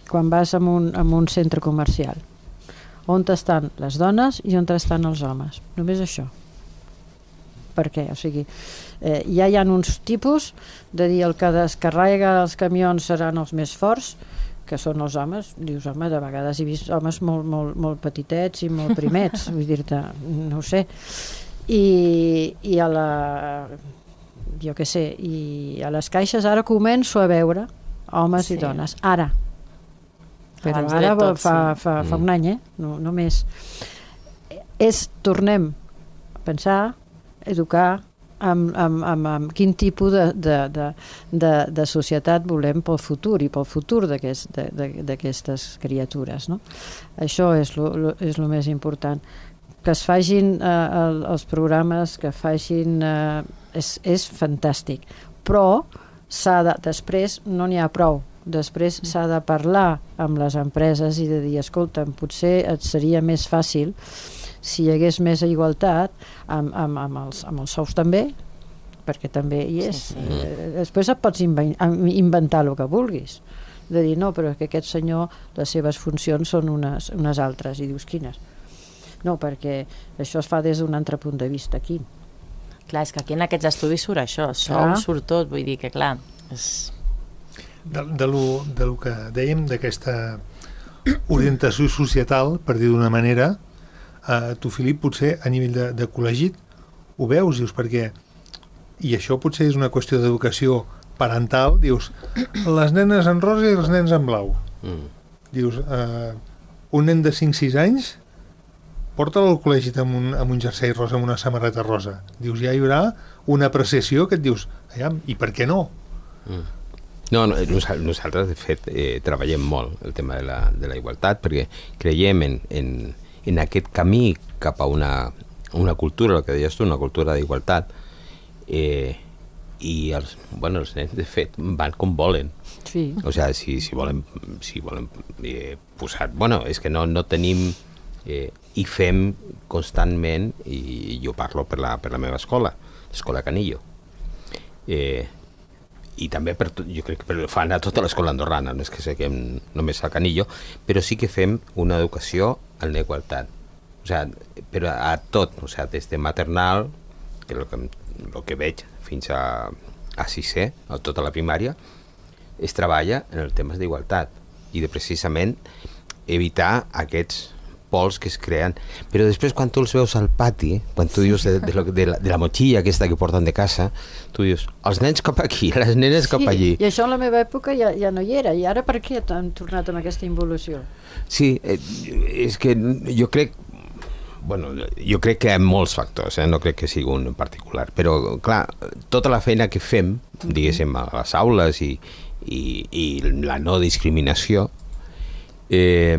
[SPEAKER 5] quan vas a un, a un centre comercial, on estan les dones i on estan els homes, només això. Per què? O sigui, eh, ja hi ha uns tipus de dir el que descarrega els camions seran els més forts, que són els homes. Dius, home, de vegades he vist homes molt, molt, molt petitets i molt primets, vull dir-te, no ho sé. I, i a la jo què sé, i a les caixes ara començo a veure homes sí. i dones, ara però abans ara tot, fa, sí. fa, fa un any, eh? no, no més és, tornem a pensar, educar amb, amb, amb, amb quin tipus de, de, de, de, de societat volem pel futur i pel futur d'aquestes criatures, no? Això és lo, lo, és lo més important, que es facin eh, els programes, que facin... Eh, és, és fantàstic. Però s'ha de, després no n'hi ha prou. Després s'ha de parlar amb les empreses i de dir, escolta, potser et seria més fàcil si hi hagués més igualtat amb, amb, amb, els, amb els sous també, perquè també hi és. Sí, sí. Eh, després et pots inventar el que vulguis. De dir, no, però que aquest senyor, les seves funcions són unes, unes altres. I dius, quines? No, perquè això es fa des d'un altre punt de vista aquí.
[SPEAKER 3] Clar, és que aquí en aquests estudis surt això, sou, surt tot, vull dir que clar, és...
[SPEAKER 2] De, de, lo, de lo que dèiem, d'aquesta orientació societal, per dir d'una manera, eh, tu, Filip, potser a nivell de, de col·legi ho veus, dius, perquè, i això potser és una qüestió d'educació parental, dius, les nenes en rosa i els nens en blau. Mm. Dius, eh, un nen de cinc sis anys porta'l al col·legi amb un, amb un jersei rosa, amb una samarreta rosa. Dius, ja hi haurà una apreciació que et dius, aviam, i per què no?
[SPEAKER 4] Mm. No, no, nosaltres, de fet, eh, treballem molt el tema de la, de la igualtat, perquè creiem en, en, en aquest camí cap a una, una cultura, el que deies tu, una cultura d'igualtat, eh, i els, bueno, els nens, de fet, van com volen.
[SPEAKER 5] Sí.
[SPEAKER 4] O sigui, si, si volen, si volen eh, posar... Bueno, és que no, no tenim... Eh, i fem constantment, i jo parlo per la, per la meva escola, l'escola Canillo. Eh, i també per, jo crec que fan a tota l'escola andorrana, no és que seguim només al Canillo, però sí que fem una educació en la igualtat, o sigui, però a tot, o sigui, des de maternal, que el que, el que veig fins a, a sisè, a tota la primària, es treballa en els temes d'igualtat i de precisament evitar aquests pols que es creen, però després quan tu els veus al pati, quan tu dius de, de, de, la, de la motxilla aquesta que porten de casa, tu dius, els nens cap aquí, les nenes cap
[SPEAKER 5] sí,
[SPEAKER 4] allí.
[SPEAKER 5] I això en la meva època ja, ja no hi era, i ara per què han tornat amb aquesta involució?
[SPEAKER 4] Sí, eh, és que jo crec, bueno, jo crec que hi ha molts factors, eh? No crec que sigui un en particular, però clar, tota la feina que fem, diguéssim, a les aules i, i, i la no discriminació, eh,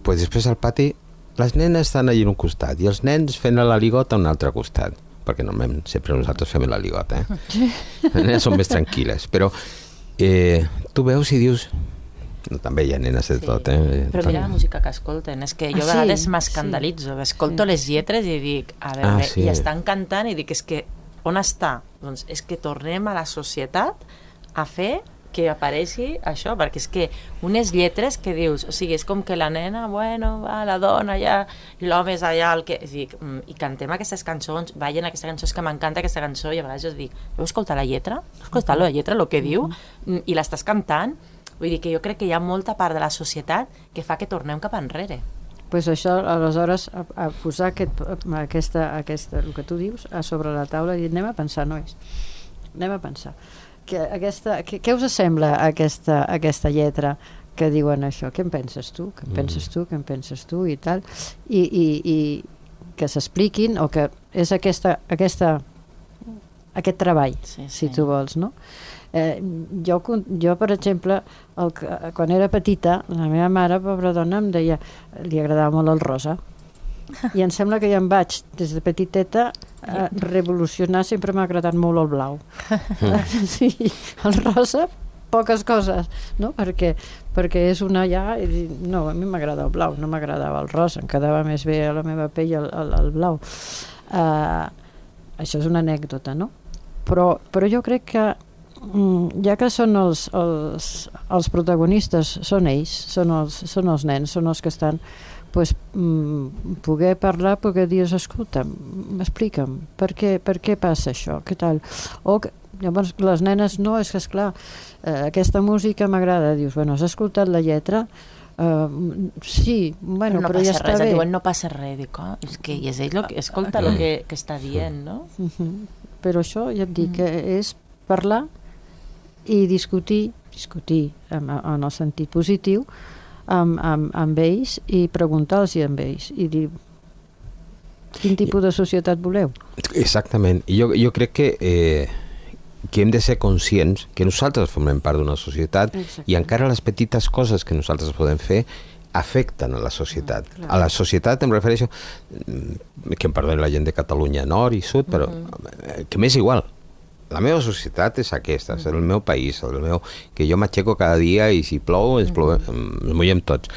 [SPEAKER 4] pues després al pati les nenes estan allà en un costat i els nens fent la ligota a un altre costat, perquè normalment sempre nosaltres fem la ligota, eh? Les nenes són més tranquil·les, però eh, tu veus i dius, no, també hi ha nenes de sí. tot, eh?
[SPEAKER 3] Però mira la música que escolten, és que jo a vegades ah, sí? m'escandalitzo, sí. escolto sí. les lletres i dic, a veure, ah, sí. i estan cantant i dic, és que on està? Doncs és que tornem a la societat a fer que apareixi això, perquè és que unes lletres que dius, o sigui, és com que la nena, bueno, va, la dona allà, i l'home és allà, el que... Dic, i cantem aquestes cançons, ballen aquesta cançó, és que m'encanta aquesta cançó, i a vegades jo dic, heu escoltat la lletra? Heu escoltat la lletra, el que diu? I l'estàs cantant? Vull dir que jo crec que hi ha molta part de la societat que fa que tornem cap enrere.
[SPEAKER 5] Pues això, aleshores, a, a posar aquest, aquesta, aquesta, el que tu dius, a sobre la taula, i anem a pensar, nois, anem a pensar. Que aquesta, que, què us sembla aquesta, aquesta lletra que diuen això? Què en penses tu? Què en penses tu? Què en penses tu? I tal. I, i, i que s'expliquin, o que és aquesta, aquesta, aquest treball, sí, sí. si tu vols, no? Eh, jo, jo, per exemple, el, quan era petita, la meva mare, pobra dona, em deia, li agradava molt el rosa. I em sembla que ja em vaig, des de petiteta, a revolucionar. Sempre m'ha agradat molt el blau. Sí, el rosa, poques coses, no? Perquè, perquè és una ja... No, a mi m'agrada el blau, no m'agradava el rosa, em quedava més bé a la meva pell el, el, el blau. Uh, això és una anècdota, no? Però, però jo crec que ja que són els, els, els protagonistes, són ells, són els, són els nens, són els que estan... Pues, mm, poder parlar, poder dir, escolta, explica'm, per què, per què passa això, què tal? O que, llavors les nenes, no, és que esclar, eh, aquesta música m'agrada, dius, bueno, has escoltat la lletra? Uh, sí, bueno,
[SPEAKER 3] però, no
[SPEAKER 5] però ja està
[SPEAKER 3] res,
[SPEAKER 5] bé.
[SPEAKER 3] Diuen, no passa res, dic, oh, és que i és ell, lo que, escolta el que, que està dient, no?
[SPEAKER 5] Uh-huh. Però això, ja et dic, mm. que és parlar i discutir, discutir en, en el sentit positiu, Amb, amb, amb ells i preguntar-los amb ells i dir quin tipus de societat voleu.
[SPEAKER 4] Exactament. Jo, jo crec que, eh, que hem de ser conscients que nosaltres formem part d'una societat. Exacte. I encara les petites coses que nosaltres podem fer afecten a la societat. Ah, a la societat em refereixo, que em perdonen la gent de Catalunya Nord i Sud, però uh-huh. que m'és igual. la meva societat és aquesta, és el meu país, el meu, que jo m'aixeco cada dia i si plou, ens, plou, ens mullem tots.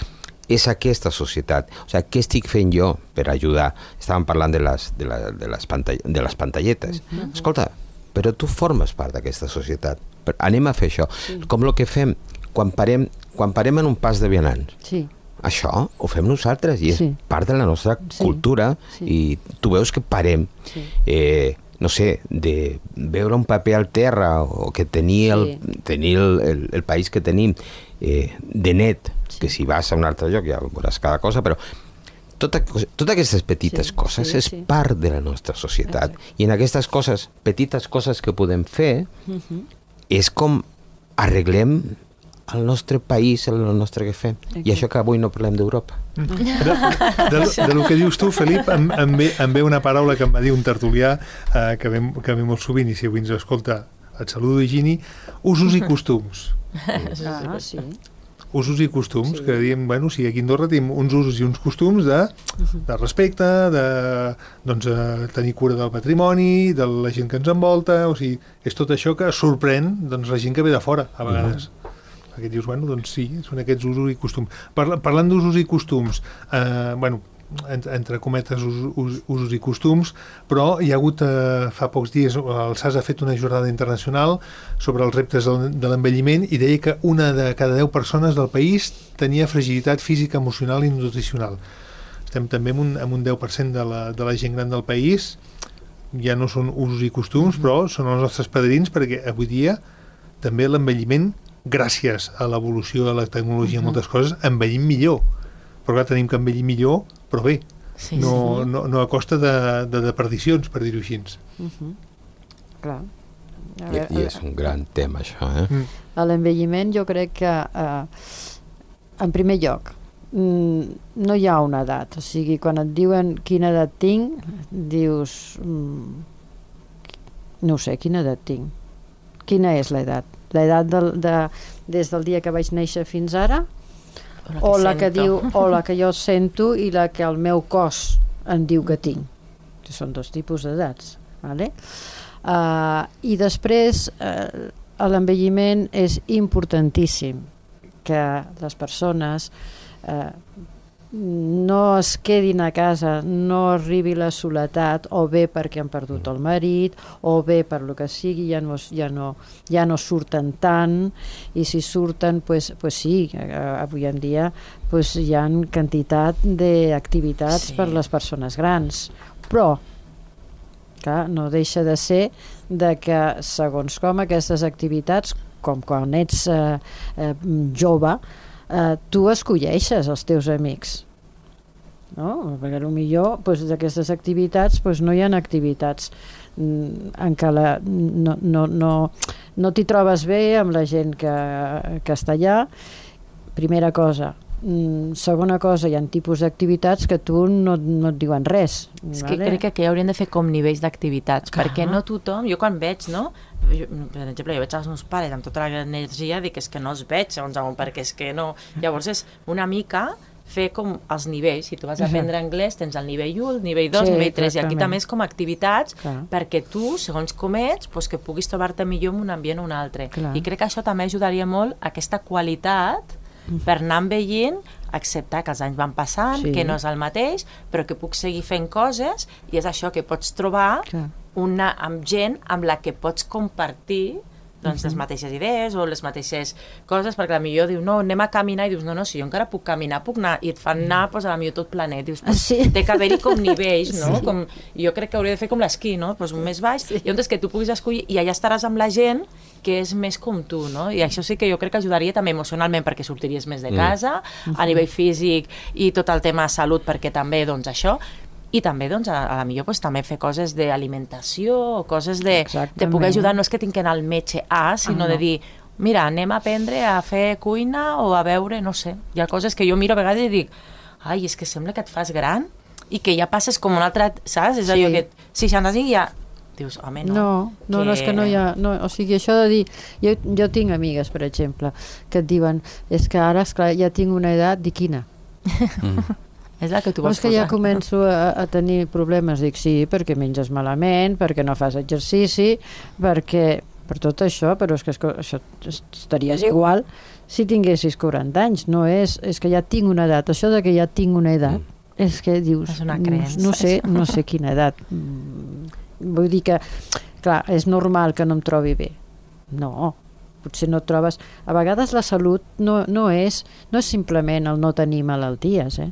[SPEAKER 4] És aquesta societat. O sigui, què estic fent jo per ajudar? Estàvem parlant de les, de la, de les, pantall de les pantalletes. Uh-huh. Escolta, però tu formes part d'aquesta societat. Anem a fer això. Sí. Com el que fem quan parem, quan parem en un pas de vianants.
[SPEAKER 5] Sí.
[SPEAKER 4] Això ho fem nosaltres i és sí. part de la nostra sí. cultura sí. i tu veus que parem. Sí. Eh, no sé, de veure un paper al terra o que tenir el, sí. tenir el, el, el país que tenim eh, de net, sí. que si vas a un altre lloc ja veuràs cada cosa, però tota, totes aquestes petites sí, coses sí, és sí. part de la nostra societat. Exacte. I en aquestes coses, petites coses que podem fer, uh-huh. és com arreglem el nostre país, el nostre que fem. Okay. I això que avui no parlem d'Europa. Mm.
[SPEAKER 2] De, de, de lo que dius tu, Felip, em, em, ve, em ve una paraula que em va dir un tertulià eh, que, ve, que ve molt sovint, i si avui ens escolta, et saludo, Higini, usos i costums.
[SPEAKER 5] Ah, sí.
[SPEAKER 2] Usos i costums, sí. que diem, bueno, sí, aquí a Andorra tenim uns usos i uns costums de, de respecte, de doncs, tenir cura del patrimoni, de la gent que ens envolta, o sigui, és tot això que sorprèn doncs, la gent que ve de fora, a vegades. Mm. Perquè dius, bueno, doncs sí, són aquests usos i costums. Parla, parlant d'usos i costums, eh, bueno, entre cometes us, us, usos i costums, però hi ha hagut, eh, fa pocs dies, el S A S ha fet una jornada internacional sobre els reptes de l'envelliment i deia que una de cada deu persones del país tenia fragilitat física, emocional i nutricional. Estem també en un, en un deu per cent de la, de la gent gran del país, ja no són usos i costums, però són els nostres padrins, perquè avui dia també l'envelliment, gràcies a l'evolució de la tecnologia i uh-huh. moltes coses, envellim millor. Però clar, tenim que envellir millor, però bé, sí, no, sí. No, no a costa de, de deperdicions, per dir-ho així.
[SPEAKER 5] Uh-huh. Clar.
[SPEAKER 4] I, I és un gran tema, això, eh? Mm.
[SPEAKER 5] A l'envelliment jo crec que, eh, en primer lloc, no hi ha una edat. O sigui, quan et diuen quina edat tinc, dius, mm, no ho sé, quina edat tinc? Quina és l'edat? L'edat de, de, des del dia que vaig néixer fins ara, o la que, o la que diu, o la que jo sento i la que el meu cos em diu que tinc. Són dos tipus d'edats, vale? Uh, i després uh, l'envelliment és importantíssim que les persones uh, no es quedin a casa, no arribi la soledat, o bé perquè han perdut el marit, o bé per lo que sigui, ja no, ja no, ja no surten tant, i si surten, pues, pues sí, avui en dia pues, hi ha quantitat d'activitats sí. per les persones grans, però clar, no deixa de ser de que segons com aquestes activitats, com quan ets eh, eh, jove, Uh, tu escolleixes els teus amics, no? Perquè potser pues, d'aquestes activitats pues, no hi ha activitats mm, en què la, no, no, no, no t'hi trobes bé amb la gent que, que està allà, primera cosa. Mm, segona cosa, hi ha tipus d'activitats que tu no, no et diuen res.
[SPEAKER 3] És que vale? Crec que aquí haurien de fer com nivells d'activitats, perquè no tothom, jo quan veig, no? Jo, per exemple, jo veig els meus pares amb tota la energia, dic, és que no els veig, segons on, perquè és que no... Llavors és una mica fer com els nivells, si tu vas a aprendre anglès tens el nivell u, el nivell dos, el sí, nivell tres, i aquí també és com activitats clar. Perquè tu, segons com ets, pues, que puguis trobar-te millor en un ambient o un altre. Clar. I crec que això també ajudaria molt a aquesta qualitat per anar envellint, acceptar que els anys van passant, sí. que no és el mateix, però que puc seguir fent coses, i és això que pots trobar una, amb gent amb la que pots compartir doncs, uh-huh. les mateixes idees o les mateixes coses, perquè potser diu, no, anem a caminar, i dius, no, no, si jo encara puc caminar, puc anar, i et fan anar, doncs, a potser tot planet, dius, pues, sí. té que haver-hi com nivells, no? Sí. Com, jo crec que hauria de fer com l'esquí, no? Pues, un més baix, sí. i on és que tu puguis escollir, i allà estaràs amb la gent que és més com tu, no? I això sí que jo crec que ajudaria també emocionalment, perquè sortiries més de casa, mm. a nivell físic, i tot el tema de salut, perquè també, doncs, això, i també, doncs, a, a la millor pues, també fer coses d'alimentació o coses de, de poder ajudar. No és que tinc que anar al metge A, sinó ah, no. de dir, mira, anem a aprendre a fer cuina o a veure, no sé. Hi ha coses que jo miro a vegades i dic, ai, és que sembla que et fas gran i que ja passes com un altre, saps? És sí. allò que seixanta-cinc ja... Dius, home, no.
[SPEAKER 5] No, no, que... no, és que no hi ha... No, o sigui, això de dir... Jo, jo tinc amigues, per exemple, que et diuen, és que ara, esclar, ja tinc una edat, di quina? Mm.
[SPEAKER 3] És la que tu
[SPEAKER 5] vols
[SPEAKER 3] vols
[SPEAKER 5] posar. És que ja
[SPEAKER 3] posar.
[SPEAKER 5] començo a, a tenir problemes. Dic, sí, perquè menges malament, perquè no fas exercici, perquè... per tot això, però és que això estaries igual si tinguessis quaranta anys. No és, és que ja tinc una edat. Això de que ja tinc una edat, mm. és que dius...
[SPEAKER 3] És una creença.
[SPEAKER 5] No sé, no sé quina edat. Vull dir que, clar, és normal que no em trobi bé. No, potser no et trobes... A vegades la salut no, no, és, no és simplement el no tenir malalties, eh?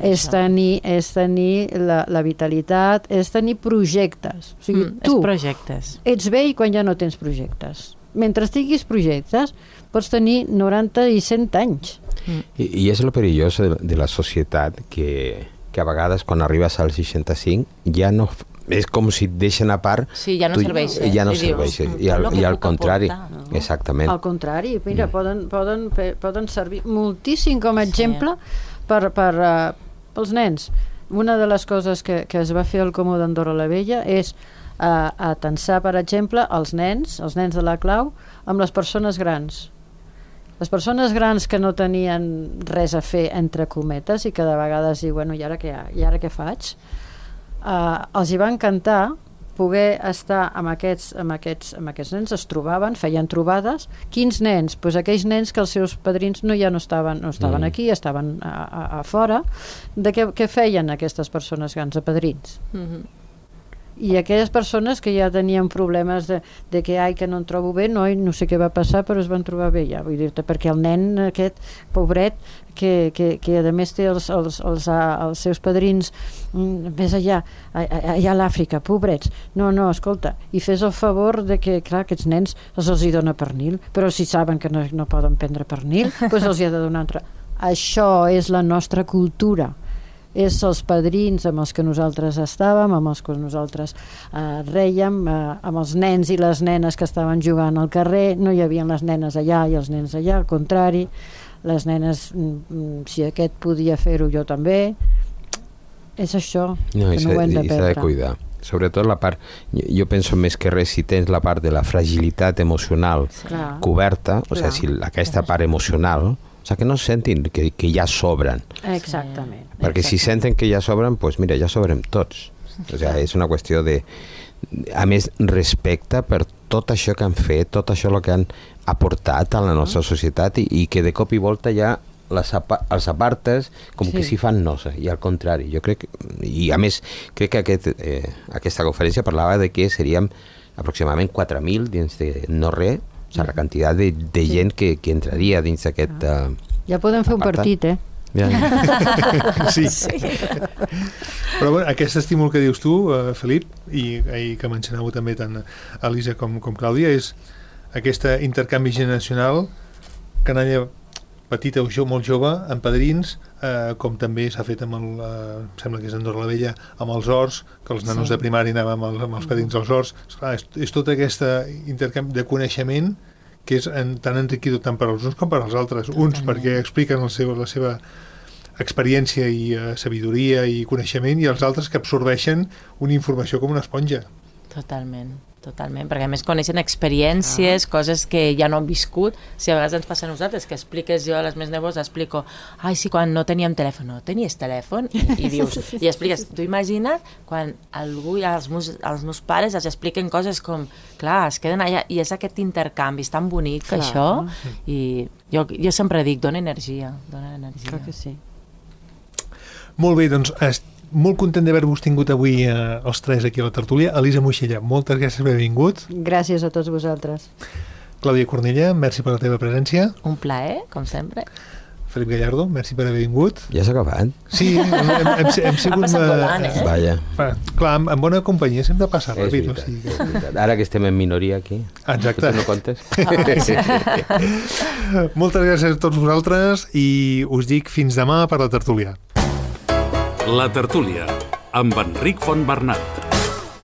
[SPEAKER 5] És tenir, és tenir la, la vitalitat, és tenir projectes. O sigui,
[SPEAKER 3] mm,
[SPEAKER 5] tu
[SPEAKER 3] projectes.
[SPEAKER 5] ets vell quan ja no tens projectes. Mentre tinguis projectes, pots tenir noranta i cent anys.
[SPEAKER 4] Mm. I, I és el perillós de, de la societat que, que a vegades quan arribes als seixanta-cinc ja no... És com si et deixen a part...
[SPEAKER 3] Sí, ja no serveix. Eh?
[SPEAKER 4] Ja no serveix. I al, i al contrari.
[SPEAKER 3] Aportar, no?
[SPEAKER 4] Exactament.
[SPEAKER 5] Al contrari, mira, mm. poden, poden, poden servir moltíssim com a exemple sí. per, per, uh, pels nens. Una de les coses que, que es va fer al Comú d'Andorra la Vella és uh, atensar, per exemple, els nens, els nens de la clau, amb les persones grans. Les persones grans que no tenien res a fer, entre cometes, i que de vegades diuen, bueno, i ara què, i ara què faig? Uh, els hi va encantar poder estar amb aquests, amb, aquests, amb aquests nens, es trobaven, feien trobades. Quins nens? Pues aquells nens que els seus padrins no, ja no estaven, no estaven mm. aquí, estaven a, a, a fora. De què, què feien aquestes persones grans, a padrins? Mm-hmm. I aquelles persones que ja tenien problemes de, de que, ai, que no em trobo bé, no, no sé què va passar, però es van trobar bé ja, vull dir-te, perquè el nen aquest, pobret, que, que, que a més té els, els, els, els seus padrins més allà, allà a l'Àfrica, pobrets, no, no, escolta, i fes el favor de que, clar, aquests nens els els hi dona pernil, però si saben que no, no poden prendre pernil, doncs els hi ha de donar altre. Això és la nostra cultura. És els padrins amb els que nosaltres estàvem, amb els que nosaltres eh, rèiem, eh, amb els nens i les nenes que estaven jugant al carrer. No hi havia les nenes allà i els nens allà, al contrari. Les nenes, si aquest podia fer-ho, jo també. És això,
[SPEAKER 4] no,
[SPEAKER 5] que no ho hem de perdre.
[SPEAKER 4] S'ha de cuidar. Sobretot la part, jo penso més que res, si tens la part de la fragilitat emocional sí. coberta, o sigui, si aquesta part emocional, o sigui, que no sentin que, que ja sobren.
[SPEAKER 5] Exactament.
[SPEAKER 4] Perquè si senten que ja sobren, doncs mira, ja sobrem tots. O sigui, és una qüestió de, a més, respecte per tot això que han fet, tot això que han aportat a la nostra societat i, i que de cop i volta ja les apa els apartes com sí. que si fan nosa, i al contrari. Jo crec, i a més, crec que aquest, eh, aquesta conferència parlava de que seríem aproximadament quatre mil dins de no res, o sigui, la quantitat de, de sí. gent que, que entraria dins d'aquest uh,
[SPEAKER 5] ja podem fer
[SPEAKER 4] apartat.
[SPEAKER 5] Un partit, eh?
[SPEAKER 4] Ja.
[SPEAKER 2] sí. sí. Però bueno, aquest estímul que dius tu, uh, Felip, i, i que mencionàveu també tant Elisa com, com Clàudia, és aquest intercanvi generacional, canalla petita o jo, molt jove, amb padrins, eh, com també s'ha fet amb el, eh, sembla que és Andorra la Vella, amb els horts, que els nanos sí. de primària anaven amb, el, amb els padrins als horts. Esclar, és, és tot aquest intercanvi de coneixement que és en, tan enriquidor tant per als uns com per als altres. Uns Totalment. Perquè expliquen el seu, la seva experiència i uh, sabidoria i coneixement, i els altres que absorbeixen una informació com una esponja.
[SPEAKER 3] Totalment, totalment, perquè a més coneixen experiències, ah. coses que ja no han viscut. Si a vegades ens passa a nosaltres, que expliques, jo a les meves neves explico, ai, sí, quan no teníem telèfon, no tenies telèfon? I, i dius, i expliques, tu imagina't quan algú, ja els meus, els meus pares els expliquen coses com, clar, es queden allà, i és aquest intercanvi, és tan bonic clar. Això, i jo, jo sempre dic, dona energia, dona energia.
[SPEAKER 5] Clar que sí.
[SPEAKER 2] Molt bé, doncs molt content d'haver-vos tingut avui eh, els tres aquí a la tertúlia. Elisa Moixella, moltes gràcies per haver vingut.
[SPEAKER 5] Gràcies a tots vosaltres.
[SPEAKER 2] Clàudia Cornella, merci per la teva presència.
[SPEAKER 3] Un plaer, com sempre.
[SPEAKER 2] Felip Gallardo, merci per haver vingut.
[SPEAKER 4] Ja s'ha acabat?
[SPEAKER 2] Sí, hem, hem, hem, hem sigut...
[SPEAKER 3] Ha passat volant, eh?
[SPEAKER 4] Vaja.
[SPEAKER 2] Va, clar, amb, amb bona companyia sempre passa ràpid.
[SPEAKER 4] És veritat, o sigui. Ara que estem en minoria aquí.
[SPEAKER 2] Exacte.
[SPEAKER 4] Tu no comptes?
[SPEAKER 2] Moltes gràcies a tots vosaltres i us dic fins demà per la tertúlia.
[SPEAKER 1] La tertúlia, amb Enric Fontbernat.